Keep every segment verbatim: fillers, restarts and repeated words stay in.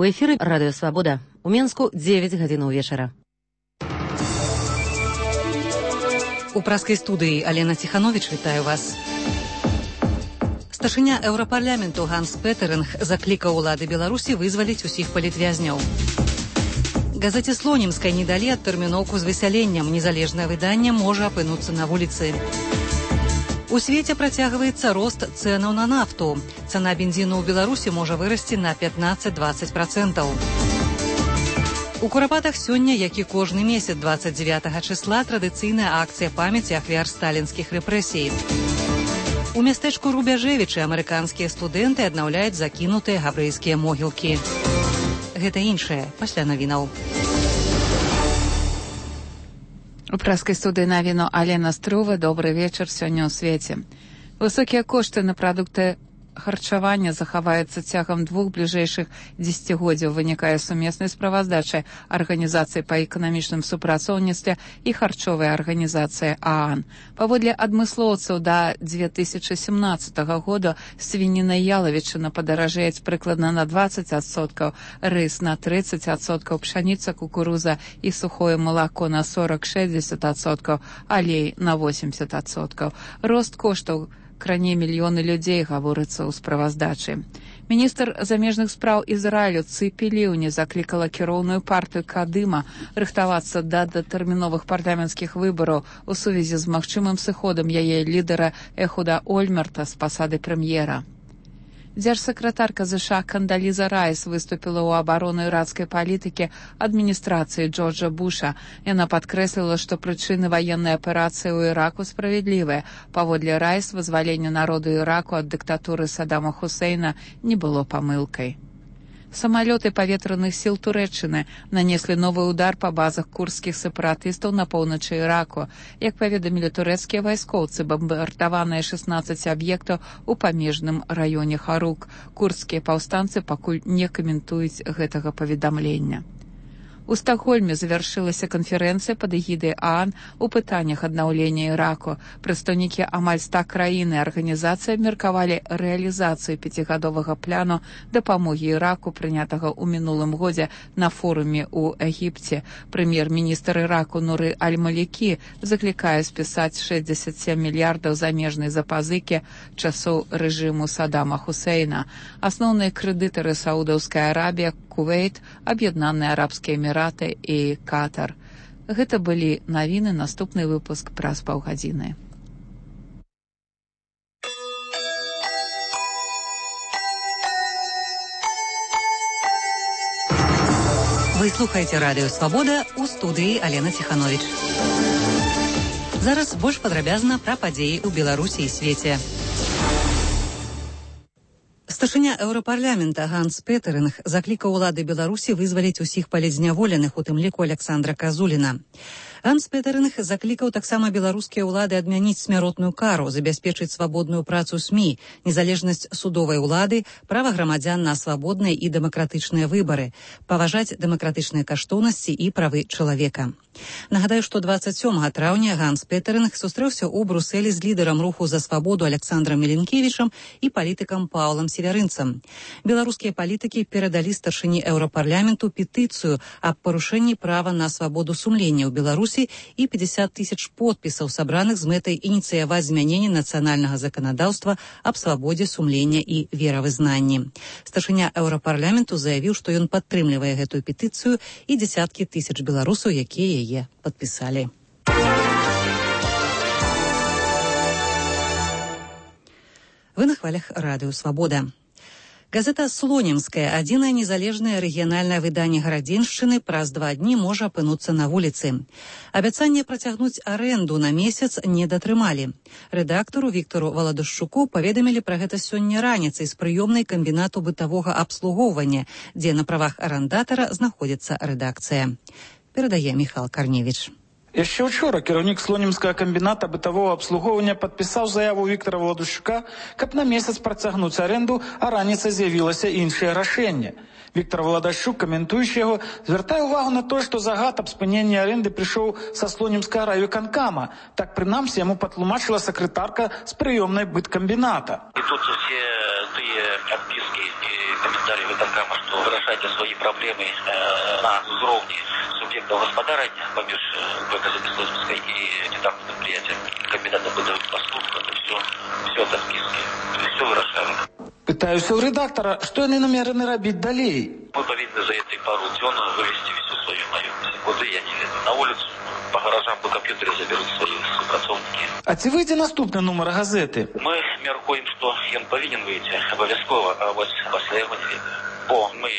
У эфіры Радыё Свабода. У Менску дзевяць гадзін вечара. У праскай студыі Алена Ціхановіч вітаю вас. Старшыня Еўрапарламенту Ганс Петеринг заклікаў улады Беларусі вызваліць усіх палітвязняў. Газеце «Слонімскай» не далі адтэрміноўку з высяленнем. Незалежнае выданне можа апынуцца на вуліцы. У свеце працягваецца рост цэнаў на нафту. Цана бензіну ў Беларусі можа вырасці на пятнаццаць-дваццаць працэнтаў. У Курапатах сёння, як і кожны месяц дваццаць дзевятага чысла, традыцыйная акцыя памяці ахвяр сталінскіх рэпрэсій. У мястэчку Рубяжэвічы амерыканскія студэнты аднаўляюць закінутыя габрэйскія могілкі. Гэта іншае пасля навінаў. У праскай студыі навіну Алена Струва. Добры вечар сёння ў свеце. Высокія кошты на прадукты харчавання захаваюцца цягам двух бліжэйшых дзесяцігоддзяў, вынікае сумеснай справаздачы Арганізацыі па эканамічным супрацоўніцтве і харчовай арганізацыі ААН. Паводле адмыслоўцаў да дзве тысячы сямнаццатага года свініна і ялавічына падаражэюць прыкладна на дваццаць адсоткаў, рыс на трыццаць адсоткаў, пшаніца, кукуруза і сухое малако на сорок-шэсцьдзесят адсоткаў, алей на восемьдесят адсоткаў. Рост коштаў кране мільёны людзей, гаворыцца ў справаздачы. Міністр замежных спраў Ізраілю Цыпі Ліўні заклікала кіроўную партыю Кадыма рыхтавацца да датэрміновых парламенцкіх выбараў у сувязі з магчымым сыходам яе лідара Эхуда Ольмерта з пасады прэм'ера. Дзяржсакратарка ЗША Кандаліза Райс выступіла ў абарону іракскай палітыкі адміністрацыі Джорджа Буша. Яна падкрэсліла, што прычыны ваеннай аперацыі ў Іраку справядлівыя. Паводле Райс, вызваленне народу Іраку ад дыктатуры Саддама Хусейна не было памылкай. Самалёты паветраных сіл Турэччыны нанеслі новы удар па базах курдскіх сепаратыстаў на поўначы Іраку. Як паведамілі турэцкія вайскоўцы, бамбардаваныя шэснаццаць аб'ектаў у памежным раёне Харук. Курдскія паўстанцы пакуль не каментуюць гэтага паведамлення. У Стакгольме завяршылася канферэнцыя пад эгідай ААН у пытаннях аднаўлення Іраку. Прадстаўнікі амаль ста краін і арганізацый абмеркавалі рэалізацыю пяцігадовага плану дапамогі Іраку, прынятага ў минулым годзе на форуме ў Егіпце. Прэм'ер-міністр Іраку Нуры Аль-Малікі заклікае спісаць шэсцьдзесят сем мільярдаў замежнай запазыкі часоў рэжыму Саддама Хусейна. Асноўныя крэдытары Саудаўская Арабія, Кувейт, Аб'яднаныя Арабскія Эміраты і Катар. Гэта былі навіны, наступны выпуск праз паўгадзіны. Вы слухаеце Радыё Свабода, у студыі Алена Ціхановіч. Зараз больш падрабязна пра падзеі ў Беларусі і свеце. Старшыня Еўрапарламента Ганс Петеринг заклікаў улады Беларусі вызваліць усіх палітзняволеных, у тым ліку Александра Казуліна. Ганс Петеринг заклікаў таксама беларускія ўлады адмяніць смяротную кару, забяспечыць свабодную працу СМІ, незалежнасць судовай улады, права грамадзян на свабодныя і дэмакратычныя выбары, паважаць дэмакратычныя каштоўнасці і правы чалавека. Нагадаю, што дваццаць сёмага траўня Ганс Петеринг сустрэўся ў Брусэлі з лідарам руху за свабоду Александрам Меленкевічам і палітыкам Паўлам Северынцам. Беларускія палітыкі перадалі старшыні Еўрапарламенту петыцыю аб парушэнні права на свабоду сумлення ў Беларусі і пятьдесят тысяч подпісаў, сабраных з мэтай ініцыяваць змяненне нацыянальнага заканадаўства аб свабодзе сумлення і веравызнанні. Старшыня Еўрапарламенту заявіў, што ён падтрымлівае гэтую петыцыю і дзесяткі тысяч беларусаў, якія яе падпісалі. Вы на хвалях Радыё Свабода. Газета «Слонімская», адзінае незалежнае рэгіянальнае выданне Гарадзеншчыны, праз два дні можа апынуцца на вуліцы. Абяцанне працягнуць арэнду на месяц не датрымалі. Рэдактару Віктару Валадушчуку паведамілі пра гэта сёння раніцай з прыёмнай камбінату бытавога абслугоўвання, дзе на правах арандатара знаходзіцца рэдакцыя. Перадае Міхал Карневіч. Яшчэ учора кіраўнік слонімскага камбіната бытавога абслугоўвання падпісаў заяву Віктара Валадушчука, каб на месяц працягнуць арэнду, а раніцай з'явілася іншае рашэнне. Віктор Валадушчук, каментуючы яго, звяртае ўвагу на тое, што загад аб спыненні арэнды прыйшоў са слонімскага райвыканкама. Так, прынамсі, яму патлумачыла сакратарка з прыёмнай быткамбіната. І тут усе большие отписки и комментарии выконкама, что выражайте свои проблемы э, на уровне субъекта господарения помеж газеты Слонімська и недавно предприятия комбината бытовых послуг. Это все, все от отписки. Все выражаем. Пытаюся у редактора, что они намерены робить далей. Мы повинны за эти пару дён вывести всю свою наемность. Куда я не веду. На улицу, по гаражам, по компьютеру заберут свои супрацовники. А ці вийде наступний номер газети? Мы міркуємо, що він повинен вийти обов'язково, а ось після його не веду. Бо ми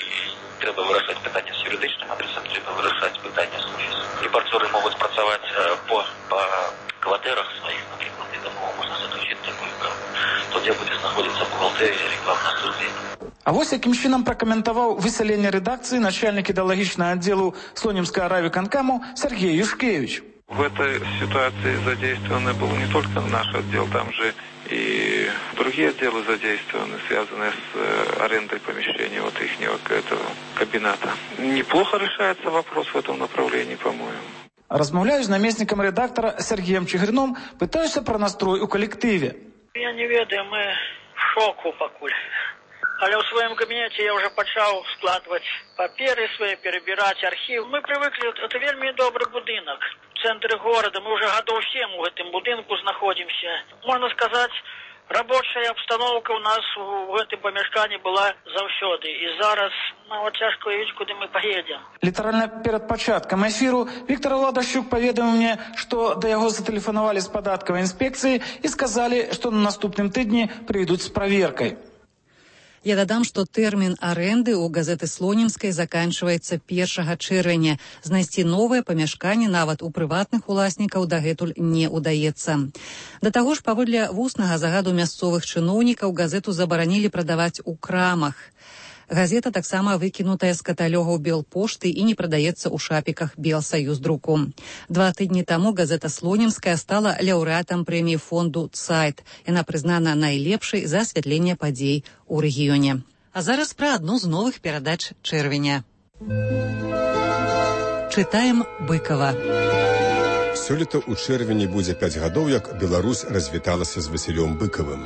треба вирішати питання з юридичним адресом, треба вирішати питання з офісом. Репортери можуть працювати по, по квартирах своїх, наприклад, і тому можна заключити таку угоду. Тоді буде знаходитися бухгалтерія, рекламна служба. А ось яким чином прокоментував виселення редакції начальник ідеологічного відділу Слонімського райвиконкому Сергій Юшкевич. В этой ситуации задействованы был не только наш отдел, там же и другие отделы задействованы, связанные с арендой помещения вот их этого кабината. Неплохо решается вопрос в этом направлении, по-моему. Розмовляю з намісником редактора Сергієм Чигирином, питаюся про настрой у колективі. Я не ведаю, ми в шоку покуль. Але у своем кабинете я уже почал складывать паперы свои, перебирать архив. Мы привыкли, это вельми добрый будинок в центре города. Мы уже годов семь в этом будинку находимся. Можно сказать, рабочая обстановка у нас в этом помешкании была завсёды. И зараз, ну, вот тяжко уявить, куда мы поедем. Літарально перед початком ефіру Віктор Владащук повідомив мені, що до його зателефонували з податкової інспекції і сказали, що на наступним тижні прийдуть з перевіркою. Я дадам, што тэрмін арэнды ў газеты Слонімскай заканчваецца першага чэрвеня. Знайсці новае памяшканне нават у прыватных уласнікаў дагэтуль не ўдаецца. Да таго ж, паводле вуснага загаду мясцовых чыноўнікаў, газету забаранілі прадаваць у крамах. Газета таксама выкінутая з каталогаў Белпошты і не прадаецца ў шапіках Белсаюздруку. Два тыдні таму газета Слонімская стала лаўрэатам прэміі фонду «Цайт». Яна прызнана найлепшай за асвятленне падзей у рэгіёне. А зараз пра адну з новых перадач чэрвеня. Чытаем Быкова. Сёлета ў чэрвені будзе пяць гадоў, як Беларусь развіталася з Васілём Быкавым.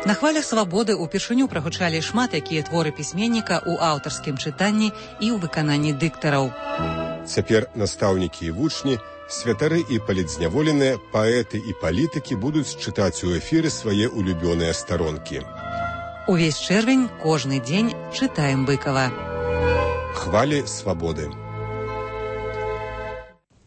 На хвалях свабоды ўпершыню прагучалі шмат якія творы пісьменніка ў аўтарскім чытанні і ў выкананні дыктараў. Цяпер настаўнікі і вучні, святары і палітзняволеныя, паэты і палітыкі будуць чытаць у эфіры свае улюбёныя старонкі. Увесь чэрвень, кожны дзень чытаем Быкава. Хвалі свабоды.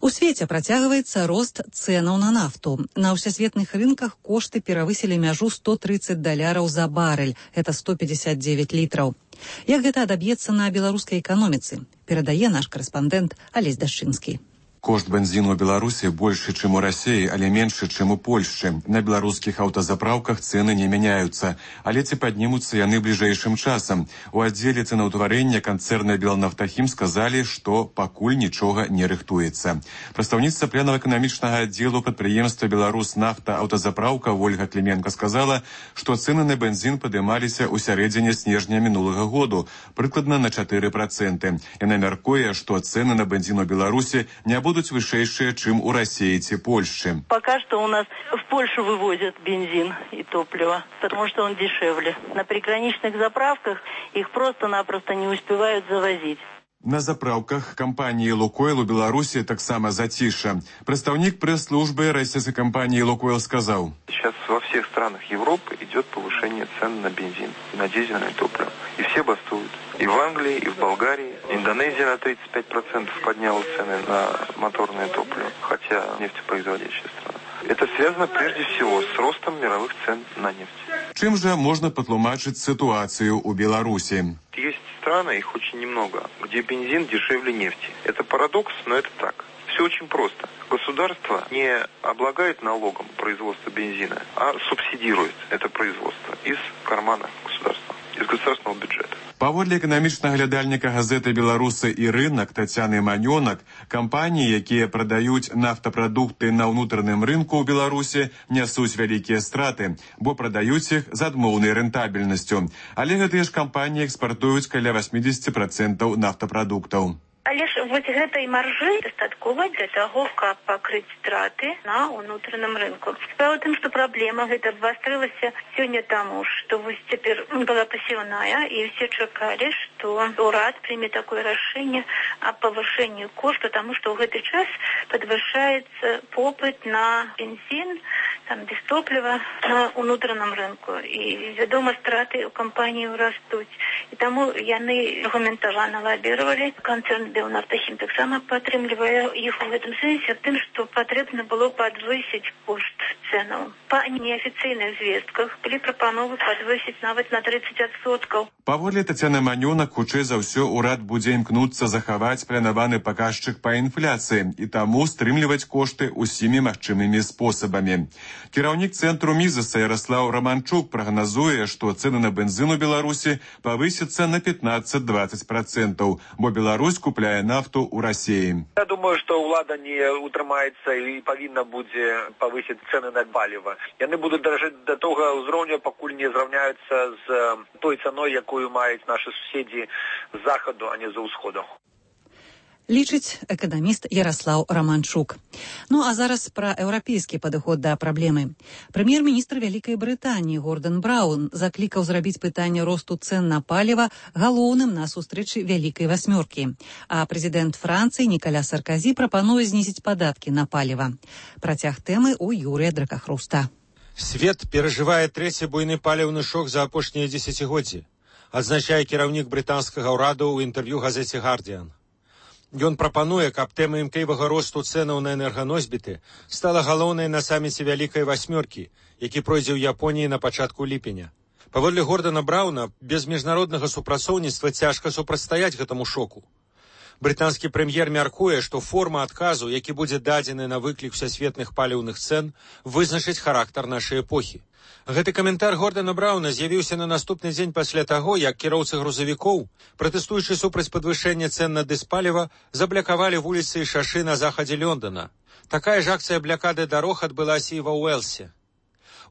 У свеце працягваецца рост цэнаў на нафту. На ўсесветных рынках кошты перавысілі мяжу сто тридцать даляраў за барэль. Это сто пятьдесят девять літраў. Як гэта адаб'ецца на беларускай эканоміцы? Перадае наш корэспандэнт Алесь Дашчынскі. Кошт бензину у Беларуси больше, чем у России, але меньше, чем у Польши. На белорусских автозаправках цены не меняются, а лети поднимутся яны ближайшим часом. У отделе ценоутварения концерна «Белнафтахим» сказали, что покуль ничего не рыхтуется. Представница пленного-экономичного отдела предприемства «Беларуснафта» автозаправка Ольга Клименко сказала, что цены на бензин поднимались у середине снежня минулого года, прикладно на четыре процента. И намеркуя, что цены на бензин у Беларуси не будут будут вышейшие, чем у России и Польши. Пока что у нас в Польшу вывозят бензин и топливо, потому что он дешевле. На приграничных заправках их просто-напросто не успевают завозить. На заправках компании «Лукойл» у Беларуси так само затише. Представник пресс-службы российской компании «Лукойл» сказал: Сейчас во всех странах Европы идет повышение цен на бензин, на дизельное топливо. И все бастуют. И в Англии, и в Болгарии. Индонезия на тридцать пять процентов подняла цены на моторное топливо, хотя нефтепроизводящая страна. Это связано прежде всего с ростом мировых цен на нефть. Чем же можно потлумачить ситуацию у Беларуси? Есть страны, их очень немного, где бензин дешевле нефти. Это парадокс, но это так. Все очень просто. Государство не облагает налогом производство бензина, а субсидирует это производство из кармана государства, из государственного бюджета. Паводле эканамічнага глядальніка газеты «Беларусы і рынок» Тацяны Манёнак, кампаніі, якія прадаюць нафтапрадукты на ўнутраным рынку ў Беларусі, нясуць вялікія страты, бо прадаюць іх з адмоўнай рэнтабельнасцю. Але гэтыя ж кампаніі экспартуюць каля восемьдесят процентов нафтапрадуктаў. Але ж вось гэтай маржы дастаткова для таго, каб пакрыць страты на ўнутраным рынку. Справа ў тым, што праблема гэта абвастрылася сёння таму, што вось цяпер была пасеўная, і ўсе чакалі, што ўрад прыме такое рашэнне аб павышэнні кошту, таму што ў гэты час падвышаецца попыт на бензін, там без топліва на ўнутраным рынку. І, вядома, страты ў кампаніі растуць. І таму яны аргументавана лабіравалі. Канцэрн Белнафтахім таксама падтрымлівае іх у гэтым сэнсе, тым, што патрэбна было падвысіць кошт цэнаў. Па неафіцыйных звестках былі прапановы падвысіць нават на тридцать адсоткаў. Паводле Тацяны Манёнак, хутчэй за ўсё, урад будзе імкнуцца захаваць планаваны паказчык па інфляцыі і таму стрымліваць кошты ўсімі магчымымі спосабамі. Кіраўнік цэнтру Мізаса Яраслаў Раманчук прагназуе, што цэны на бензін у Беларусі павысяцца на пятнадцать-двадцать процентаў, бо Беларусь купляе нафту ў Расіі. Я думаю, што ўлада не утрымаецца і павінна будзе павысіць цэны на паліва. Яны будуць даражэць да того ўзроўню, пакуль не зраўняюцца з той цаной, якую маюць нашы суседзі з захаду, а не з усходу. Лічыць эканаміст Яраслаў Раманчук. Ну а зараз пра еўрапейскі падыход да праблемы. Прэм'ер-міністр Вялікай Брытаніі Гордан Браўн заклікаў зрабіць пытанне росту цэн на паліва галоўным на сустрэчы Вялікай васьмёркі. А прэзідэнт Францыі Нікаля Сарказі прапануе знізіць падаткі на паліва. Працяг тэмы ў Юрыя Дракахруста. Свет перажывае трэці буйны паліўны шок за апошнія дзесяцігоддзі, адзначае кіраўнік брытанскага ўраду ў інтэрв'ю газеце «Гардіан». Ён прапануе, каб тэма імклівага росту цэнаў на энерганосьбіты стала галоўнай на саміце Вялікай васьмёркі, які пройдзе ў Японіі на пачатку ліпеня. Паводле Гордана Браўна, без міжнароднага супрацоўніцтва цяжка супрацьстаяць гэтаму шоку. Брытанскі прэм'ер мяркуе, што форма адказу, які будзе дадзены на выклік усесветных паліўных цэн, вызначыць характар нашай эпохі. Гэты каментар Гордана Браўна з'явіўся на наступны дзень пасля таго, як кіроўцы грузавікоў, пратэстуючы супраць падвышэння цэн на дызпаліва, заблякавалі вуліцы і шашы на захадзе Лондона. Такая ж акцыя блякады дарог адбылася і ва Уэлсе.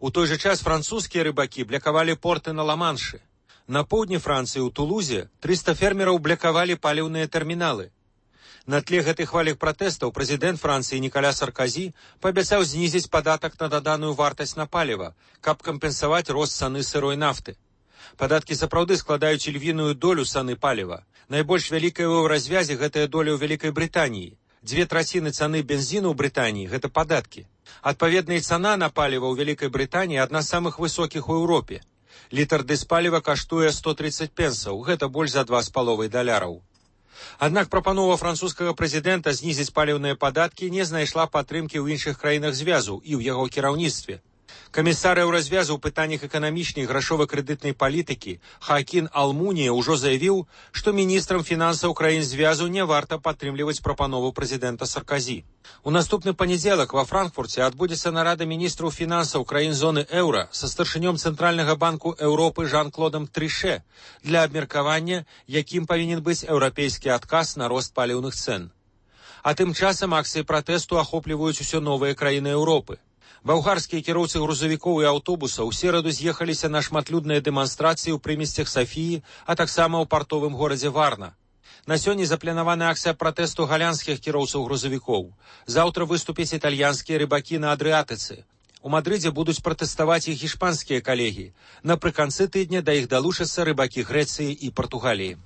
У той жа час французскія рыбакі блякавалі порты на Ла-Маншы. На поўдні Францыі ў Тулузе трыста фермераў блякавалі паліўныя тэрміналы. На тле гэтых хвалях пратэстаў прэзідэнт Францыі Нікаля Сарказі паабяцаў знізіць падатак на даданую вартасць на паліва, каб кампенсаваць рост цаны сырой нафты. Падаткі сапраўды складаюць львіную долю цаны паліва. Найбольш вялікая ў развязе гэтая доля ў Вялікай Брытаніі. Дзве траціны цаны бензіну ў Брытаніі – гэта падаткі. Адпаведна, і цана на паліва ў Вялікай Брытаніі адна з самых высокіх у Еўропе. Літр дызпаліва каштуе сто тридцать пенсаў, гэта больш за два з паловай даляраў. Аднак прапанова французскага прэзідэнта знізіць паліўныя падаткі не знайшла падтрымкі ў іншых краінах звязу і ў яго кіраўніцтве. Камісар еўразвязу ў пытаннях эканамічнай і грашова-крэдытнай палітыкі Хаакін Алмунія ўжо заявіў, што міністрам фінансаў краін звязу не варта падтрымліваць прапанову прэзідэнта Сарказі. У наступны панядзелак ва Франкфурце адбудзецца нарада міністраў фінансаў краін зоны еўра са старшынём Цэнтральнага банку Еўропы Жан-Клодам Трыше для абмеркавання, якім павінен быць еўрапейскі адказ на рост паліўных цэн. А тым часам акцыі пратэсту ахопліваюць усё новыя краіны Еўропы. Балгарскія кіроўцы грузавікоў і аўтобусаў у сераду з'ехаліся на шматлюдныя дэманстрацыі ў прымесцях Сафіі, а таксама ў партовым горадзе Варна. На сёння запланавана акцыя пратэсту галандскіх кіроўцаў грузавікоў. Заўтра выступяць італьянскія рыбакі на Адрыатыцы. У Мадрыдзе будуць пратэставаць іх іспанскія калегі. Напрыканцы тыдня да іх далучацца рыбакі Грэцыі і Партугаліі.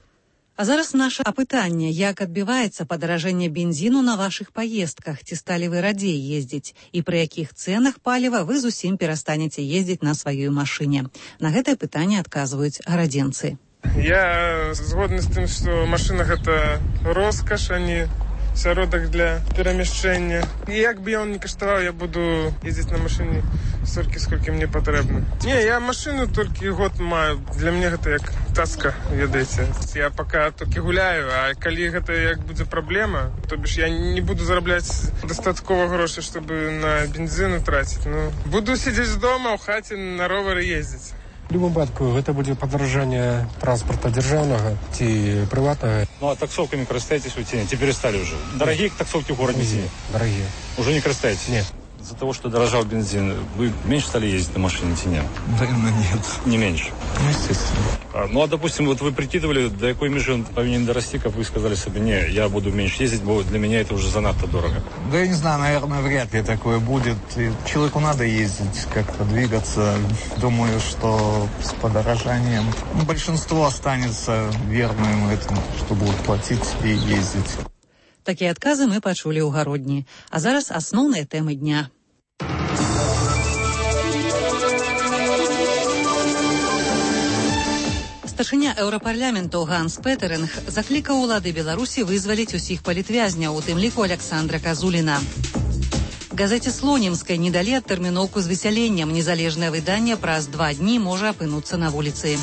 А зараз наше апытанне, як адбіваецца падаражэнне бензіну на вашых паездках, ці сталі вы радзей ездзіць, і пры якіх цэнах паліва вы зусім перастанеце ездзіць на сваёй машыне. На гэтае пытанне адказваюць гарадзенцы. Я згодны з тым, што машына гэта роскаш, а не сяродак для перамяшчэння. І як бы ён не каштаваў, я буду ездзіць на машыне столькі, сколькі мне патрэбна. Не, я машыну толькі год маю. Для мяне гэта як таска, ведаеце. Я пака толькі гуляю, а калі гэта як будзе праблема, то бишь я не буду зарабляць дастаткова грошай, чтобы на бензіну траціць. Ну, буду сидзець дома ў хаце на ровары ездзіць. У любом выпадку гэта будзе падаражанне транспарта дзяржаўнага ці прыватнага. Ну а таксовками карыстаетесь вы ці не? Ці перестали уже? Дорогие таксовки в городе? Не, дорогие. Уже не карыстаетесь? Нет. Из-за того, что дорожал бензин, вы меньше стали ездить на машине, нет? Наверное, нет. Не меньше? Ну, естественно. А, ну, а, допустим, вот вы прикидывали, до какой межи он повинен дорасти, как вы сказали себе, не, я буду меньше ездить, бо для меня это уже занадто дорого. Да я не знаю, наверное, вряд ли такое будет. И человеку надо ездить, как-то двигаться. Думаю, что с подорожанием большинство останется верным этому, что будут платить и ездить. Такія адказы мы пачулі ў гародні. А зараз асноўныя тэмы дня. Старшыня еўрапарламенту Ганс Петеринг заклікаў улады Беларусі вызваліць усіх палітвязняў, у тым ліку Александра Казуліна. Газеце «Слонімскай» не далі адтэрміноўку з высяленнем. Незалежнае выданне праз два дні можа апынуцца на вуліцы.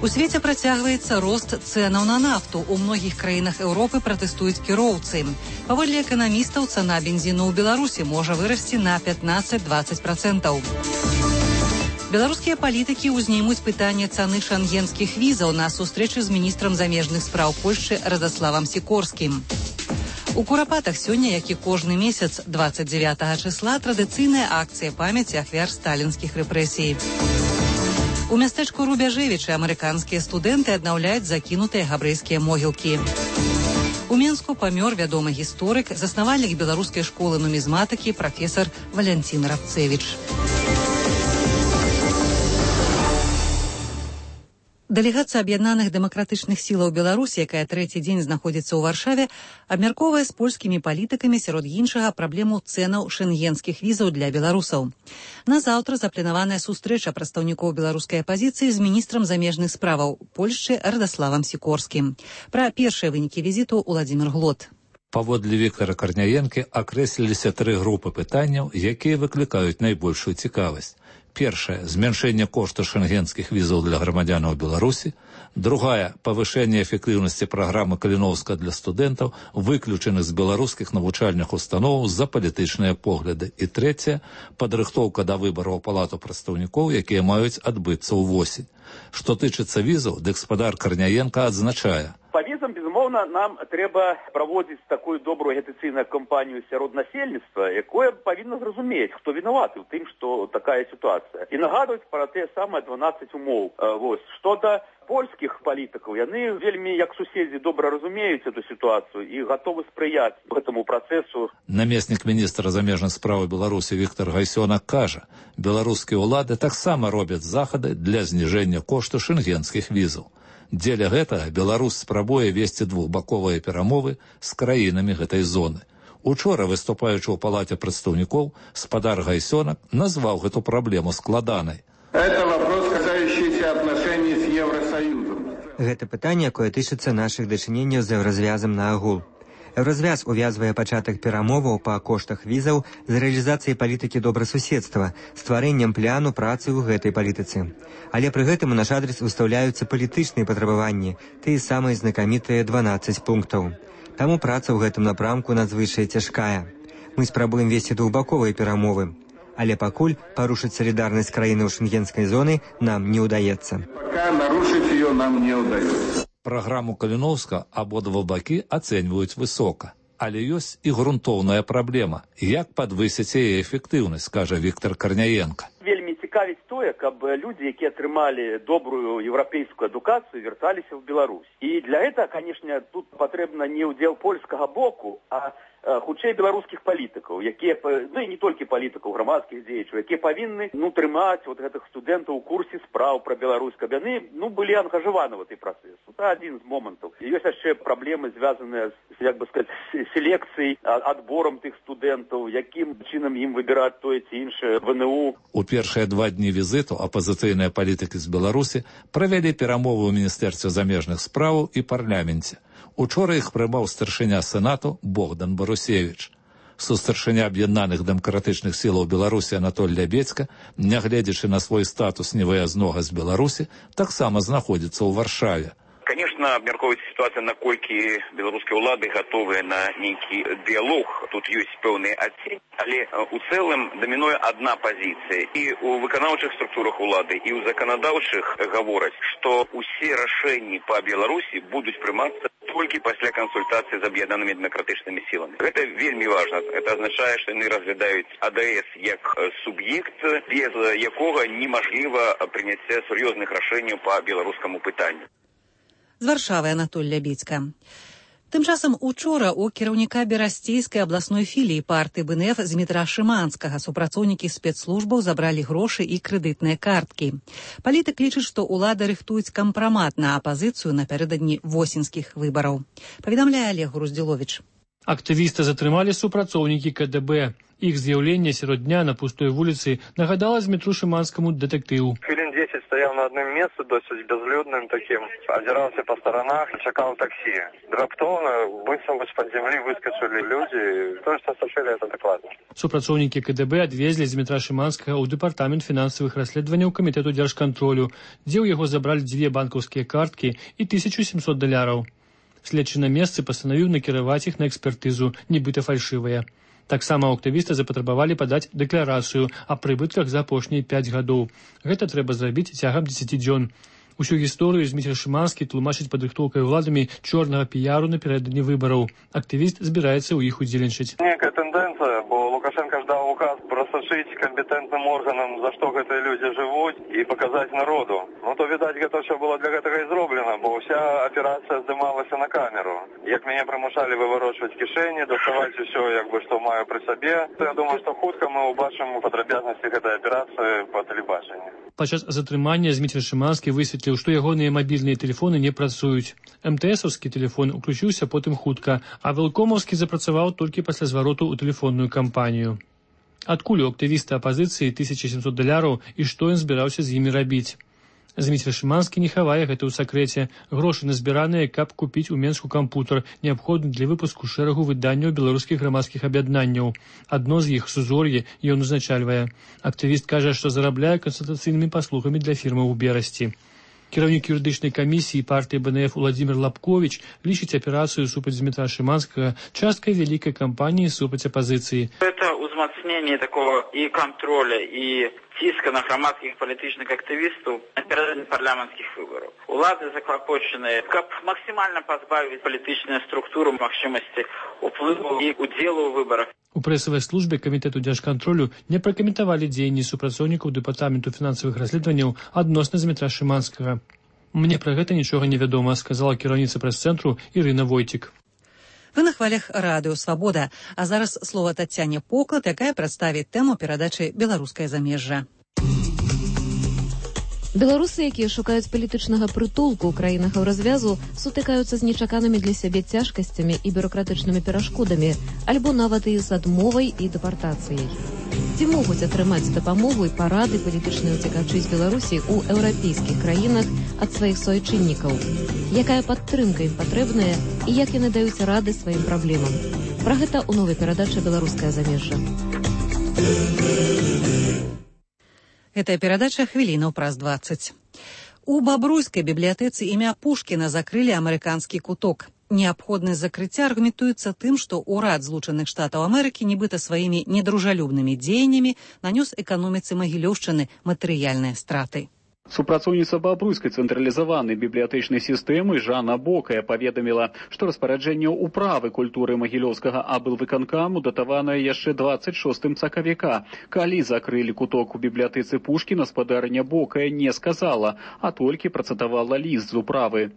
У свеце працягваецца рост цэнаў на нафту. У многіх краінах Еўропы пратэстуюць кіроўцы. Паводле эканамістаў, цана бензіну ў Беларусі можа вырасці на пятнаццаць-дваццаць працэнтаў. Беларускія палітыкі ўзнімуць пытанне цаны шэнгенскіх візаў на сустрэчы з міністрам замежных спраў Польшчы Радославам Сікорскім. У Курапатах сёння, як і кожны месяц, дваццаць дзевятага чысла, традыцыйная акцыя памяці ахвяр сталінскіх рэпрэсій. У мястэчку Рубяжэвічы амерыканскія студэнты аднаўляюць закінутыя габрэйскія могілкі. У Менску памёр вядомы гісторык, заснавальнік беларускай школы нумізматыкі прафесар Валянцін Рабцэвіч. Дэлегацыя аб'яднаных дэмакратычных сілаў Беларусі, якая трэці дзень знаходзіцца ў Варшаве, абмяркоўвае з польскімі палітыкамі, сярод іншага, праблему цэнаў шэнгенскіх візаў для беларусаў. На заўтра запланаваная сустрэча прадстаўнікоў беларускай апазіцыі з міністрам замежных справаў Польшчы Радославам Сікорскім. Пра першыя вынікі візіту Уладзімір Глот. Паводле Віктара Карняенкі акрэсліліся тры групы пытанняў, якія выклікаюць найбольшую цікавасць. Першая – зменшэнне кошта шэнгенскіх візаў для грамадзянаў Беларусі. Другая – павышэнне эфектыўнасці праграмы Каліноўска для студэнтаў, выключаных з беларускіх навучальных установаў за палітычныя погляды. І трэцяя – падрыхтоўка да выбараў палату прадстаўнікоў, якія маюць адбыцца ўвосень. Што тычыцца візаў, дык спадар Карняенка адзначае. Па візам, безумоўна, нам трэба праводзіць такую добрую агітацыйную кампанію сярод насельніцтва, якое павінна зразумець, хто вінаваты ў тым, што такая сітуацыя. І нагадваць пра тыя самыя дванаццаць умоў. Вось, што да польскіх палітыкаў, яны вельмі, як суседзі, добра разумеюць эту сітуацыю і гатовы спрыяць гэтаму працэсу. Намеснік міністра замежных спраў Беларусі Віктар Гайсёнак кажа, беларускія ўлады таксама робяць захады для зніжэння кошту шэнгенскіх візаў. Дзеля гэтага Беларусь спрабуе весці двухбаковыя перамовы з краінамі гэтай зоны. Учора, выступаючы ў палаце прадстаўнікоў, спадар Гайсёнак назваў гэту праблему складанай. Это вопрос, касающийся отношений с Евросоюзом. Гэта пытанне, якое тычыцца нашых дачыненняў з еўразвязам на агул. Еўразвяз увязвае пачатак перамоваў па коштах візаў з рэалізацыяй палітыкі добрасуседства, стварэннем пляну працы ў гэтай палітыцы. Але пры гэтым у наш адрес выстаўляюцца палітычныя патрабаванні, тыя самыя знакамітыя дванаццаць пунктаў. Таму праца ў гэтым напрамку надзвычай цяжкая. Мы спрабуем весці двухбаковыя перамовы, але пакуль парушыць салідарнасць краінаў шэнгенскай зоны нам не ўдаецца. Пока нарушить ее нам не удается. Праграму Каліноўска абодва бакі ацэньваюць высока. Але ёсць і грунтоўная праблема. Як падвысіць яе эфектыўнасць, кажа Віктар Карняенка. Вельмі цікавіць тое, каб людзі, якія атрымалі добрую еўрапейскую адукацыю, вярталіся ў Беларусь. І для гэтага, канешне, тут патрэбна не ўдзел польскага боку, а хутчэй беларускіх палітыкаў, якія, ну і не толькі палітыкаў, грамадскіх дзеячаў, якія павінны, ну, трымаць вот гэтых студэнтаў у курсе спраў пра Беларусь, каб яны, ну, былі ангажаваны в гэты працэс. Это адзін з момантаў. І ёсць яшчэ праблемы, звязаныя з, як бы сказаць, селекцыяй, адборам тых студэнтаў, якім чынам ім выбіраць тое ці іншае вэ эн у. У першыя два дні візіту апазіцыйныя палітыкі з Беларусі правялі перамовы ў Міністэрстве замежных спраў і парламенце. Учора іх прымаў старшыня Сенату Богдан Барусевіч. Сустаршыня аб'яднаных дэмакратычных сілаў Беларусі Анатоль Лябедзька, нягледзячы на свой статус невыязнога з Беларусі, таксама знаходзіцца ў Варшаве. Конечно, абмяркоўваецца сітуацыя, наколькі беларускія ўлады гатовыя на нейкі дыялог. Тут ёсць пэўныя адценні, але у цэлым дамінуе адна пазіцыя. І ў выканаўчых структурах улады, і ў заканадаўчых гавораць, што ўсе рашэнні па Беларусі будуць прымацца толькі пасля кансультацыі з аб'яднанымі дэмакратычнымі сіламі. Гэта вельмі важна. Это азначае, што яны разглядаюць АДС як суб'ект, без якога немажліва прыняцце сур'ёзных рашэнняў па беларускаму пытанню. З Варшавы Анатоль Лябіцька. Тым часам учора у кіраўніка берасцейскай абласной філіі партыі БНФ Змітра Шыманскага супрацоўнікі спецслужбаў забралі грошы і крэдытныя карткі. Палітык лічыць, што ўлады рыхтуюць кампрамат на апазіцыю напярэдадні восеньскіх выбараў. Паведамляе Олег Груздзіловіч. Актывіста затрымалі супрацоўнікі КДБ. Іх з'яўленне сярод дня на пустой вуліцы нагадала Змітру Шыманскаму дэтэктыў. Хвілін дзесяць стаяў на адным месцы, досыць бязлюдным такім, азіраўся па старанах і чакаў таксі. Раптоўна, быццам бы з-пад зямлі выскачылі людзі, тое, што сачылі, это дакладна. Супрацоўнікі КДБ адвезлі Змітра Шыманскага ў дэпартамент фінансавых расследаванняў камітэту дзяржкантролю, дзе ў яго забралі дзве банкаўскія карткі і тысячу сямсот даляраў. Следчы на месцы пастанавіў накіраваць іх на экспертызу, нібыта фальшывыя. Таксама у актывіста запатрабавалі падаць дэкларацыю аб прыбытках за апошнія пяць гадоў. Гэта трэба зрабіць цягам дзесяці дзён. Усю гісторыю Зміцер Шыманскі тлумачыць падрыхтоўкай уладамі чорнага піяру напярэдадні выбараў. Актывіст збіраецца ў іх удзельнічаць. Некая тэндэнцыя, бо Лукашенко ждаў указ прасачыць кампетэнтным органам, за што гэтыя людзі жывуць, і паказаць народу. Ну то, відаць, гэта ўсё было для гэтага і зроблена, бо ўся аперацыя здымалася на камеру. Як мяне прымушалі выварочваць кішэні, даставаць усё, як бы, што маю пры сабе, то я думаю, што хутка мы ўбачым падрабязнасці гэтай аперацыі па тэлебачанні. Падчас затрымання Зміцер Шыманскі высветліў, што ягоныя мабільныя тэлефоны не працуюць. МТСаўскі тэлефон уключыўся потым хутка, а Велкомаўскі запрацаваў толькі пасля звароту ў тэлефонную кампанію. Адкуль у актывіста апазіцыі тысяча сямсот даляраў і што ён збіраўся з імі рабіць? Зміцер Шыманскі не хавае гэта ў сакрэце. Грошы назбіраныя, каб купіць у Менску кампутар, неабходны для выпуску шэрагу выданняў беларускіх грамадскіх аб'яднанняў. Адно з іх, Сузор'е, ён узначальвае. Актывіст кажа, што зарабляе кансультацыйнымі паслугамі для фірмаў у Берасці. Кіраўнік юрыдычнай камісіі партыі БНФ Уладзімір Лапковіч лічыць аперацыю супраць Змітра Шыманскага часткай вялікай кампаніі супраць апазіцыі. Это узмацнение такого и контроля, и ціска на громадских политичных активистов напередодні парламентских выборов. Улады заклопочены, как максимально позбавить политичную структуру магчымасці уплыву и удзелу ў выборах. У прэсавай службе камітэту дзяржкантролю не пракаментавалі дзеянні супрацоўнікаў дэпартаменту фінансавых расследаванняў адносна Змітра Шыманскага. Мне пра гэта нічога не вядома, сказала кіраўніца прэс-цэнтру Ірына Войтік. Вы на хвалях радыё «Свабода», а зараз слова Тацяне Поклад, якая прадставіць тэму перадачы «Беларускае замежжа». Беларусы, якія шукаюць палітычнага прытулку ў краінах еўразвязу, сутыкаюцца з нечаканымі для сябе цяжкасцямі і бюракратычнымі перашкодамі, альбо нават і з адмовай і дэпартацыяй. Ці могуць атрымаць дапамогу і парады палітычныя ўцекачы з Беларусі ў еўрапейскіх краінах ад сваіх суайчыннікаў? Якая падтрымка ім патрэбная і як яны даюць рады сваім праблемам? Пра гэта ў новай перадачы «Беларускае замежжа». Гэтая перадача хвілінаў праз дваццаць. У бабруйскай бібліятэцы імя Пушкіна закрылі амерыканскі куток. Неабходнасць закрыцця аргументуецца тым, што ўрад Злучаных Штатаў Амерыкі нібыта сваімі недружалюбнымі дзеяннямі нанёс эканоміцы Магілёўшчыны матэрыяльныя страты. Супрацоўніца бабруйскай цэнтралізаванай бібліятэчнай сістэмы Жанна Бокая паведаміла, што распараджэнне ўправы культуры магілёўскага аблвыканкаму датаванае яшчэ дваццаць шостым сакавіка. Калі закрылі куток у бібліятэцы Пушкіна, спадарня Бокая не сказала, а толькі працытавала ліст з управы.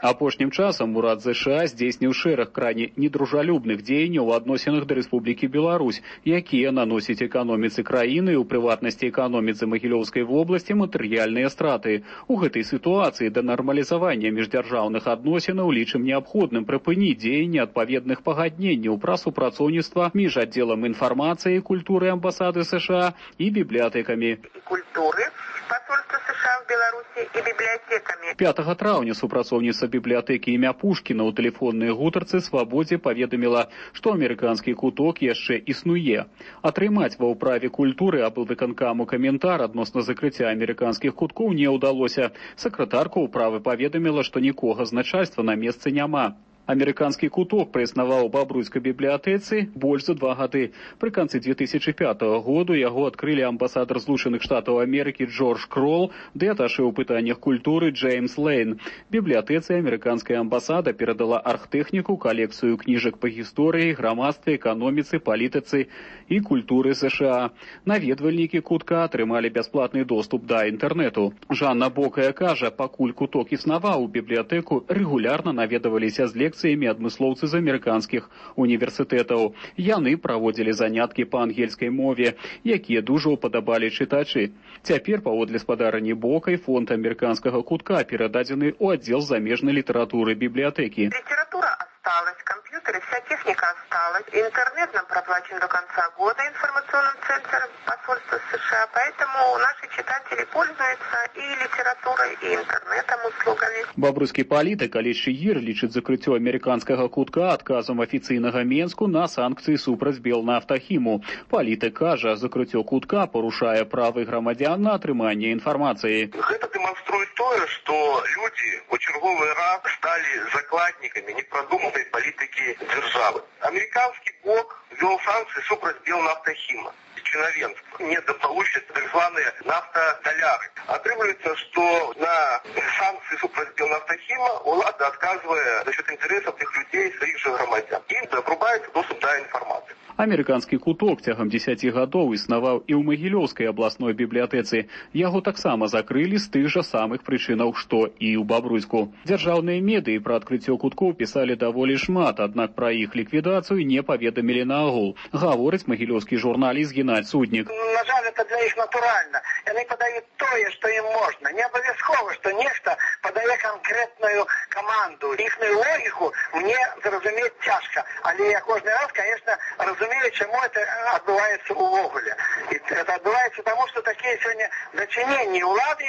Апошнім часам урад ЗША здзейсніў шэраг крайне недружалюбных дзеянняў у адносінах да Рэспублікі Беларусь, якія наносяць эканоміцы краіны, у прыватнасці эканоміцы Магілёўскай в области матэрыяльныя страты. У гэтай сітуацыі да нармалізавання міждзяржаўных адносінаў лічым неабходным прыпыніць дзеянні адпаведных пагадненняў пра супрацоўніцтва між аддзелам інфармацыі і культуры амбасады США і бібліятэкамі. Культуры посольства США в Беларуси и библиотеками. пятага траўня супрацоўніца бібліятэкі імя Пушкіна ў тэлефоннай гутарцы «Свабодзе» паведаміла, што амерыканскі куток яшчэ існуе. Атрымаць ва ўправе культуры аблвыканкаму каментар адносна закрыцця амерыканскіх куткоў не ўдалося. Сакратарка ўправы паведаміла, што нікога з начальства на месцы няма. Амерыканскі куток праіснаваў у бабруйскай бібліятэцы больш за два гады. Пры канцы две тысячи пятого году яго адкрылі амбасадар Злучаных Штатаў Амерыкі Джордж Кролл ды аташэ ў пытаннях культуры Джеймс Лейн. Бібліятэцы амерыканская амбасада перадала архтэхніку, калекцыю кніжак па гісторыі, грамадстве, эканоміцы, палітыцы і культуры США. Наведвальнікі кутка атрымалі бясплатны доступ да інтэрнэту. Жанна Бокая кажа, пакуль куток існаваў, у бібліятэку рэгулярна наведаваліся з лекцыямі адмыслоўцы з амерыканскіх універсітэтаў. Яны праводзілі заняткі па ангельскай мове, якія дужа ўпадабалі чытачы. Цяпер, паводле спадарні Бокай, фонд амерыканскага кутка перададзены ў аддзел замежнай літаратуры бібліятэкі. Литература осталась, компьютеры, вся техника осталась. Интернет нам проплачен до конца года информационным центром посольства США, поэтому наши читатели пользуются и литературой, и интернетом услугами. Бабруйскі палітык Алесь Шыгір лічыць закрыццё амерыканскага кутка адказам афіцыйнага Менску на санкцыі супраць Белнафтахіму. Палітык кажа, закрыццё кутка парушае правы грамадзян на атрыманне інфармацыі. Гэта дэманструе тое, што людзі у чарговы раз сталі закладнікамі непрадуманай палітыкі дзяржавы. Амерыканскі бок вёл санкцыі супраць Белнафтахіма. Чиновенство недополучит так званые нафтодоляры. Отрывается, что на санкции супраць Белнафтахима улада отказывая за счет интересов тех людей, своих же громадян. Им обрубается доступ до информации. Амерыканскі куток цягам дзесяці гадоў існаваў і ў Магілёўскай абласной бібліятэцы. Яго таксама закрылі з тых жа самых прычынаў, што і ў Бабруйску. Дзяржаўныя медыі пра адкрыццё куткоў пісалі даволі шмат, аднак пра іх ліквідацыю не паведамілі наогул. Гаворыць магілёўскі журналіст Геннадзь Суднік. На жаль, это для іх натуральна. Яны падаюць тое, што ім можна. Не абавязкова, што нехта падае канкрэтную каманду. Іхную логіку мне зразумець цяжка. Але я кожны раз, конечно, разумею, чему это отбывается увогуле. И это отбывается потому, что такие сегодня дочинения улады,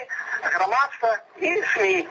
громадства и СМИ.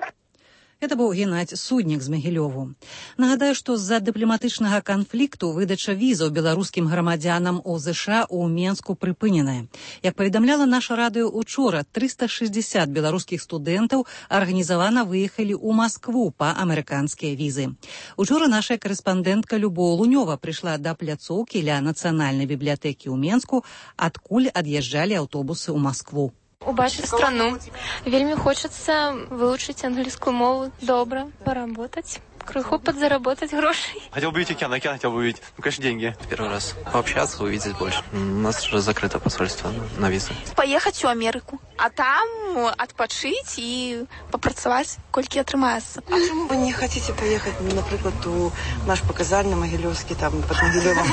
Это быў Геннадзь Суднік з Магілёву. Нагадаю, што з-за дыпламатычнага канфлікту выдача візаў беларускім грамадзянам у ЗША ў Менску прыпыненая. Як паведамляла наша радыё учора, трыста шэсцьдзесят беларускіх студэнтаў арганізавана выехалі ў Маскву па амерыканскія візы. Учора наша карэспандэнтка Любоў Лунёва прыйшла да пляцоўкі ля нацыянальнай бібліятэкі ў Менску, адкуль ад'язджалі аўтобусы ў Маскву. Убачыць страну. Вельмі хочацца вывучыць англійскую мову добра, поработать, крыху подзаработать грошей. Хотел бы увидеть океан, океан хотел бы увидеть. Ну, конечно, деньги. Первый раз. Пообщаться, увидеть больше. У нас уже закрыто посольство на визы. Поехать в Америку, а там отпочить и попрацаваць, колькі атрымаецца. А чому вы не хотите поехать, например, у наш показальный Могилевский, там, под Могилевом?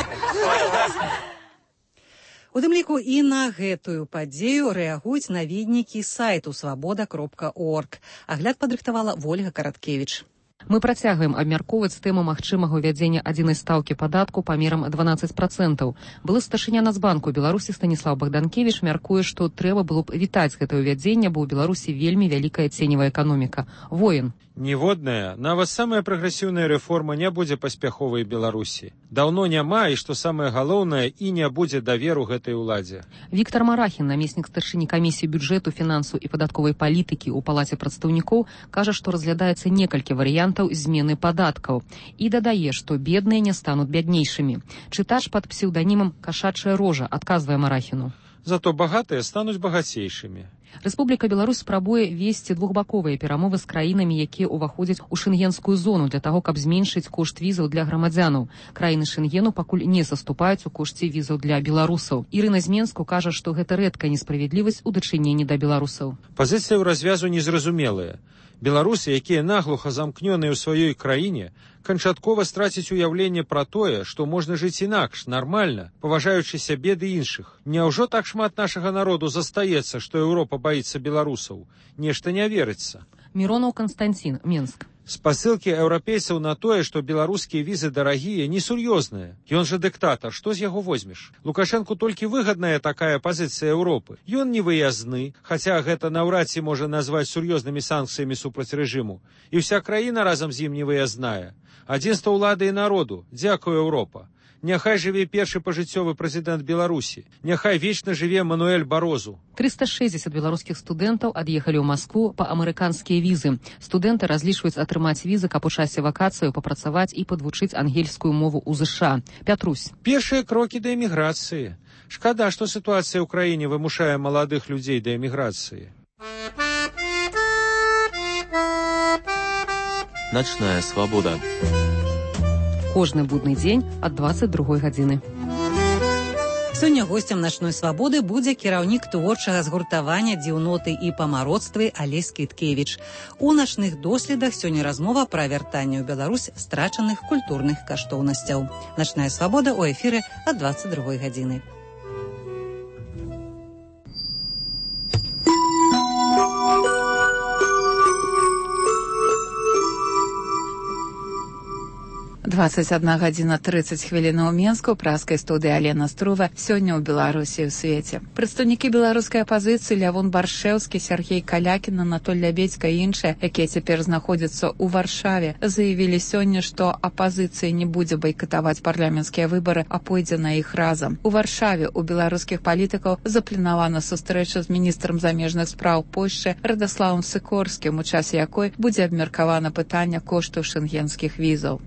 У тым ліку і на гэтую падзею рэагуюць наведнікі сайту свабода кропка орг. Агляд падрыхтавала Вольга Караткевіч. Мы працягваем абмяркоўваць тэму магчымага ўвядзення адзінай стаўкі падатку памерам дванаццаць процентаў. Былы старшыня Нацбанку Беларусі Станіслав Богданкевіч мяркуе, што трэба было б вітаць гэтае ўвядзенне, бо ў Беларусі вельмі вялікая ценевая эканоміка. Воін. Ніводная, нават самая прагрэсіўная рэформа не будзе паспяховай Беларусі. Даўно няма, і што самае галоўнае, і не будзе даверу гэтай уладзе. Віктор Марахін, намеснік старшыні камісіі бюджэту, фінансу і падатковай палітыкі ў палаце прадстаўнікоў, кажа, што разглядаецца некалькі варыянтаў змены падаткаў і дадае, што бедныя не стануць бяднейшымі. Чытач пад псеўданімам «Кашачая рожа» адказвае Марахіну. Зато багатыя стануць багацейшымі. Рэспубліка Беларусь спрабуе весці двухбаковыя перамовы з краінамі, якія ўваходзяць у шэнгенскую зону для таго, каб зменшыць кошт візаў для грамадзянаў. Краіны Шэнгену пакуль не саступаюць у кошце візаў для беларусаў. Ірына з Менску кажа, што гэта рэдкая несправядлівасць у дачыненні да беларусаў. Пазіцыя ў развязу незразумелая. Беларусы, якія наглуха замкнёныя ў сваёй краіне, канчаткова страціць уяўленне пра тое, што можна жыць інакш, нармальна, паважаючы сябе ды іншых. Няўжо так шмат нашага народу застаецца, што Еўропа баіцца беларусаў? Нешта не верыцца. Миронов Константин, Менск. Спасылкі еўрапейцаў на тое, што беларускія візы дарагія, несур'ёзныя. Ён жа дыктатар, што з яго возьмеш? Лукашэнку толькі выгадная такая пазіцыя Еўропы. Ён не выязны, хаця гэта наўрад ці можа назваць сур'ёзнымі санкцыямі супраць рэжыму. І ўся краіна разам з ім не выязная. Адзінства ўлады і народу. Дзякуй, Еўропа. Няхай жыве першы пажыццёвы прэзідэнт Беларусі. Няхай вечна жыве Мануэль Барозу. триста шестьдесят беларускіх студэнтаў ад'ехалі ў Маскву па амерыканскія візы. Студэнты разлічваюць атрымаць візы, каб у часе вакацыяў папрацаваць і падвучыць ангельскую мову ў ЗША. Пятрусь. Першыя крокі да эміграцыі. Шкада, што сітуацыя ў краіне вымушае маладых людзей да эміграцыі. Начная свабода. Кожны будны дзень ад дваццаць другой гадзіны. Сёння госцем начной свабоды будзе кіраўнік творчага згуртавання дзіўноты і памароцтвы Алесь Кіткевіч. У начных доследах сёння размова пра вяртанне ў Беларусь страчаных культурных каштоўнасцяў. Начная свабода ў эфіры ад дваццаць другой гадзіны. двадцать одна гадзіна тридцать хвілін у Менску, праскай студыі Алена Струва. Сёння ў Беларусі ў свеце. Прадстаўнікі беларускай апазіцыі Лявон Баршэўскі, Сергей Калякін, Анатоль Лябедзька і іншыя, якія цяпер знаходзяцца ў Варшаве, заявілі сёння, што апазіцыя не будзе байкатаваць парламенцкія выбары, а пойдзе на іх разам. У Варшаве у беларускіх палітыкаў запланавана сустрэча з міністрам замежных спраў Польшчы Радаславам Сікорскім, у часе якой будзе абмеркавана пытанне кошту шэнгенскіх візаў.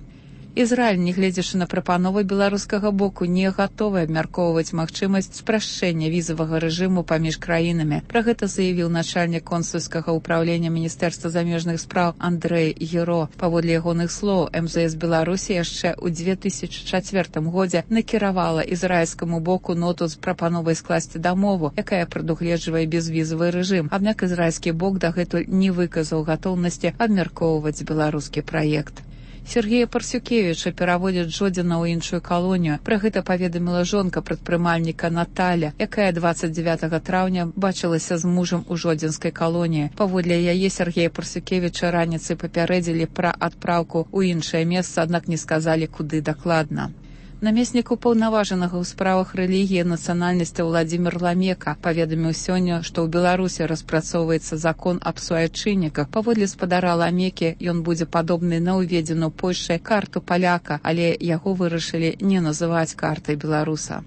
Ізраіль, нягледзячы на прапановы беларускага боку, не гатовы абмяркоўваць магчымасць спрашчэння візавага рэжыму паміж краінамі. Пра гэта заявіў начальнік консульскага ўпраўлення Міністэрства замежных спраў Андрэй Еро. Паводле ягоных слоў, эм зэ эс Беларусі яшчэ ў две тысячы чацвёртым годзе накіравала ізраільскаму боку ноту з прапановай скласці дамову, якая прадугледжвае безвізавы рэжым. Аднак ізраільскі бок дагэтуль не выказаў гатоўнасці абмяркоўваць беларускі праект. Сергея Парсюкевіча пераводзяць Жодзіна ў іншую калонію. Пра гэта паведаміла жонка прадпрымальніка Наталя, якая дваццаць дзевятага траўня бачылася з мужам у Жодзінскай калоніі. Паводле яе Сергея Парсюкевіча раніцай папярэдзілі пра адпраўку ў іншае месца, аднак не сказалі, куды дакладна. Намеснік упаўнаважанага ў справах рэлігіі і нацыянальнасці Владзімір Ламека паведаміў сёння, што ў Беларусі распрацоўваецца закон аб суайчынніках. Паводле спадара Ламекі ён будзе падобны на ўведзеную Польшчай карту паляка, але яго вырашылі не называць картай беларуса.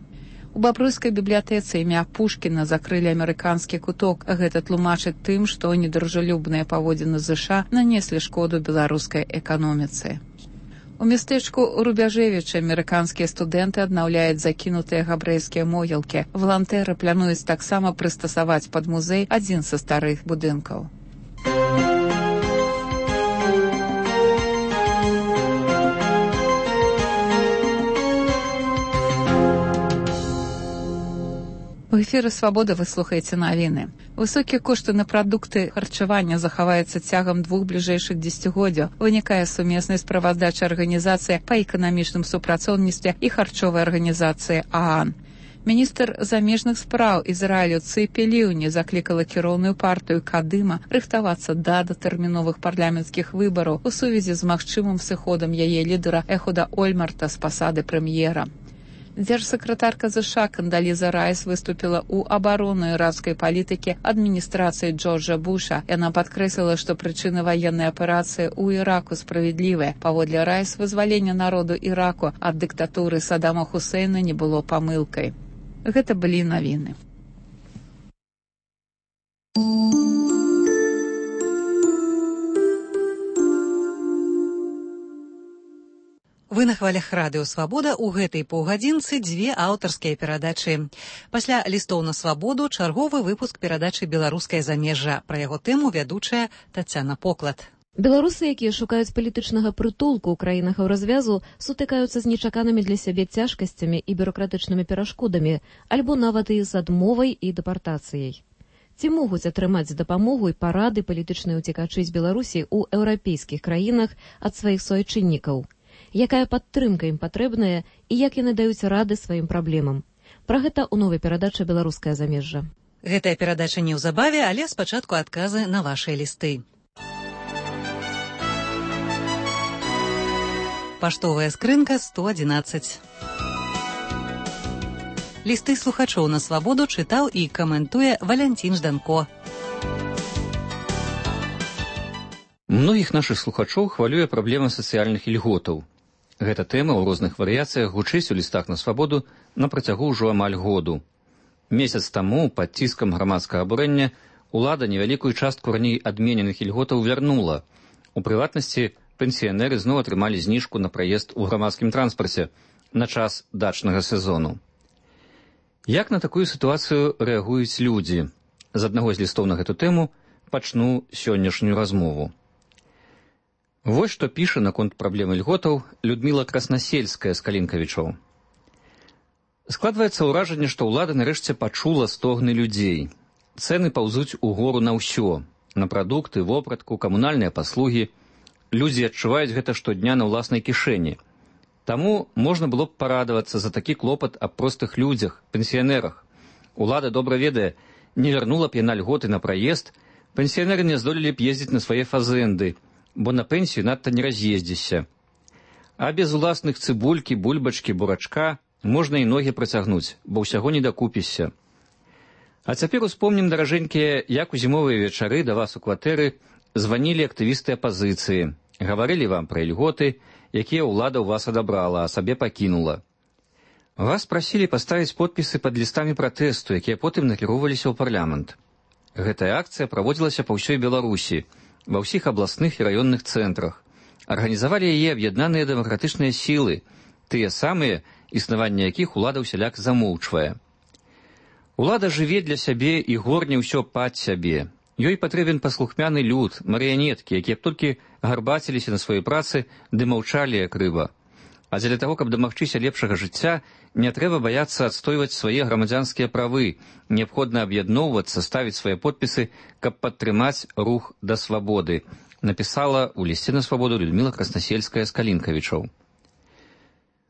У бабруйскай бібліятэцы імя Пушкіна закрылі амерыканскі куток. Гэта тлумачыць тым, што недружалюбныя паводзіны ЗША нанеслі шкоду беларускай эканоміцы. У мястэчку Рубяжэвіча амерыканскія студэнты аднаўляюць закінутыя габрэйскія могілкі. Валантэры плануюць таксама прыстасаваць пад музей адзін са старых будынкаў. У эфіры «Свабода» вы слухаеце навіны. Высокія кошты на прадукты харчавання захаваюцца цягам двух бліжэйшых дзесяцігоддзяў. Вынікае сумеснай справаздачы арганізацыі па эканамічным супрацоўніцтве і харчовай арганізацыі ААН. Міністр замежных спраў Ізраілю Цыпі Ліўні заклікала кіроўную партыю Кадыма рыхтавацца да датэрміновых парламенцкіх выбараў у сувязі з магчымым сыходам яе лідара Эхуда Ольмарта з пасады прэм'ера. Дзяржсакратарка ЗША Кандаліза Райс выступіла ў абарону іракскай палітыкі адміністрацыі Джорджа Буша. Яна падкрэсліла, што прычыны ваеннай аперацыі ў Іраку справядлівыя. Паводле Райс, вызваленне народу Іраку ад дыктатуры Саддама Хусейна не было памылкай. Гэта былі навіны. Вы на хвалях радыё «Свабода» ў гэтай паўгадзінцы дзве аўтарскія перадачы. Пасля лістоў на свабоду чарговы выпуск перадачы «Беларускае замежжа». Пра яго тэму вядучая Тацяна Поклад. Беларусы, якія шукаюць палітычнага прытулку ў краінах развязу, сутыкаюцца з нечаканымі для сябе цяжкасцямі і бюракратычнымі перашкодамі, альбо нават і з адмовай і дэпартацыяй. Ці могуць атрымаць дапамогу і парады палітычныя ўцекачы з Беларусі ў еўрапейскіх краінах ад сваіх суайчыннікаў? Якая падтрымка ім патрэбная і як яны даюць рады сваім праблемам. Пра гэта ў новай перадачы «Беларускае замежжа». Гэтая перадача неўзабаве, але спачатку адказы на вашыя лісты. Паштовая скрынка сто адзінаццаць. Лісты слухачоў на свабоду чытаў і каментуе Валянцін Жданко. Многіх нашых слухачоў хвалюе праблема сацыяльных ільготаў. Гэта тэма ў розных варыяцыях гучыць у лістах на свабоду на працягу ўжо амаль году. Месяц таму пад ціскам грамадскага абурэння улада невялікую частку раней адмененых ільготаў вярнула. У прыватнасці пенсіянеры зноў атрымалі зніжку на праезд у грамадскім транспарце на час дачнага сезону. Як на такую сітуацыю рэагуюць людзі? З аднаго з лістоў на гэту тэму пачну сённяшнюю размову. Вось што піша наконт праблемы льготаў Людміла Краснасельская з Калінкавічоў. Складваецца ўражанне, што ўлада нарэшце пачула стогны людзей. Цэны паўзуць угору на ўсё, на прадукты, вопратку, камунальныя паслугі. Людзі адчуваюць гэта штодня на ўласнай кішэні. Таму можна было б парадавацца за такі клопат аб простых людзях, пенсіянерах. Улада добра ведае, не вярнула б яна льготы на праезд, пенсіянеры не здолелі б ездзіць на свае фазэнды, бо на пенсію надта не раз'ездзішся. А без уласных цыбулькі, бульбачкі, бурачка можна і ногі працягнуць, бо ўсяго не дакупішся. А цяпер успомнім, даражэнькія, як у зімовыя вечары да вас у кватэры званілі актывісты апазіцыі, гаварылі вам пра льготы, якія ўлада ў вас адабрала, а сабе пакінула. Вас прасілі паставіць подпісы пад лістамі пратэсту, якія потым накіроўваліся ў парламент. Гэтая акцыя праводзілася па ўсёй Беларусі, ва ўсіх абласных і раённых цэнтрах. Арганізавалі яе аб'яднаныя дэмакратычныя сілы, тыя самыя, існаванне якіх улада ўсяляк замоўчвае. Улада жыве для сябе і горне ўсё пад сябе. Ёй патрэбен паслухмяны люд, марыянеткі, якія б толькі гарбаціліся на сваёй працы ды маўчалі як рыба. А дзеля таго, каб дамагчыся лепшага жыцця, не трэба баяцца адстойваць свае грамадзянскія правы, неабходна аб'ядноўвацца, ставіць свае подпісы, каб падтрымаць рух да свабоды, напісала ў лісце на свабоду Людміла Краснасельская з Калінкавічоў.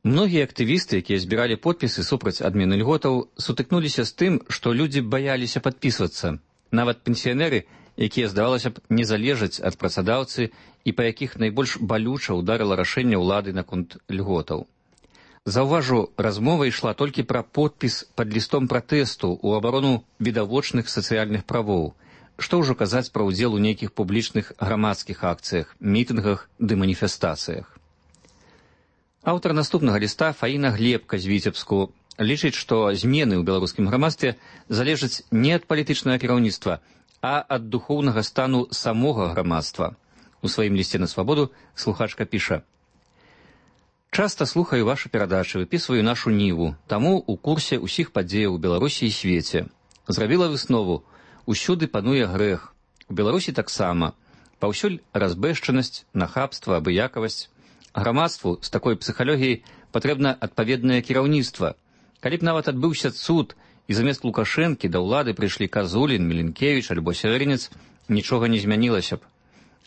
Многія актывісты, якія збіралі подпісы супраць адмены льготаў, сутыкнуліся з тым, што людзі баяліся падпісвацца. Нават пенсіянеры, якія, здавалася б, не залежаць ад працадаўцы і па якіх найбольш балюча ўдарыла рашэнне ўлады наконт льготаў. Заўважу, размова ішла толькі пра подпіс пад лістом пратэсту ў абарону відавочных сацыяльных правоў. Што ўжо казаць пра ўдзел у нейкіх публічных грамадскіх акцыях, мітынгах ды маніфестацыях. Аўтар наступнага ліста Фаіна Глебка з Віцебску лічыць, што змены ў беларускім грамадстве залежаць не ад палітычнага кіраўніцтва, а ад духоўнага стану самога грамадства. У сваім лісце на свабоду слухачка піша: «Часта слухаю вашы перадачы, выпісваю нашу ніву, таму у курсе ўсіх падзеяў у Беларусі і свеце. Зрабіла выснову, усюды пануе грэх. У Беларусі таксама. Паўсюль разбэшчанасць, нахабства, абыякавасць. Грамадству з такой псіхалогіяй патрэбна адпаведнае кіраўніцтва. Калі б нават адбыўся цуд, і замест Лукашэнкі да ўлады прыйшлі Казулін, Міленкевіч альбо Сявярынец, нічога не змянілася б.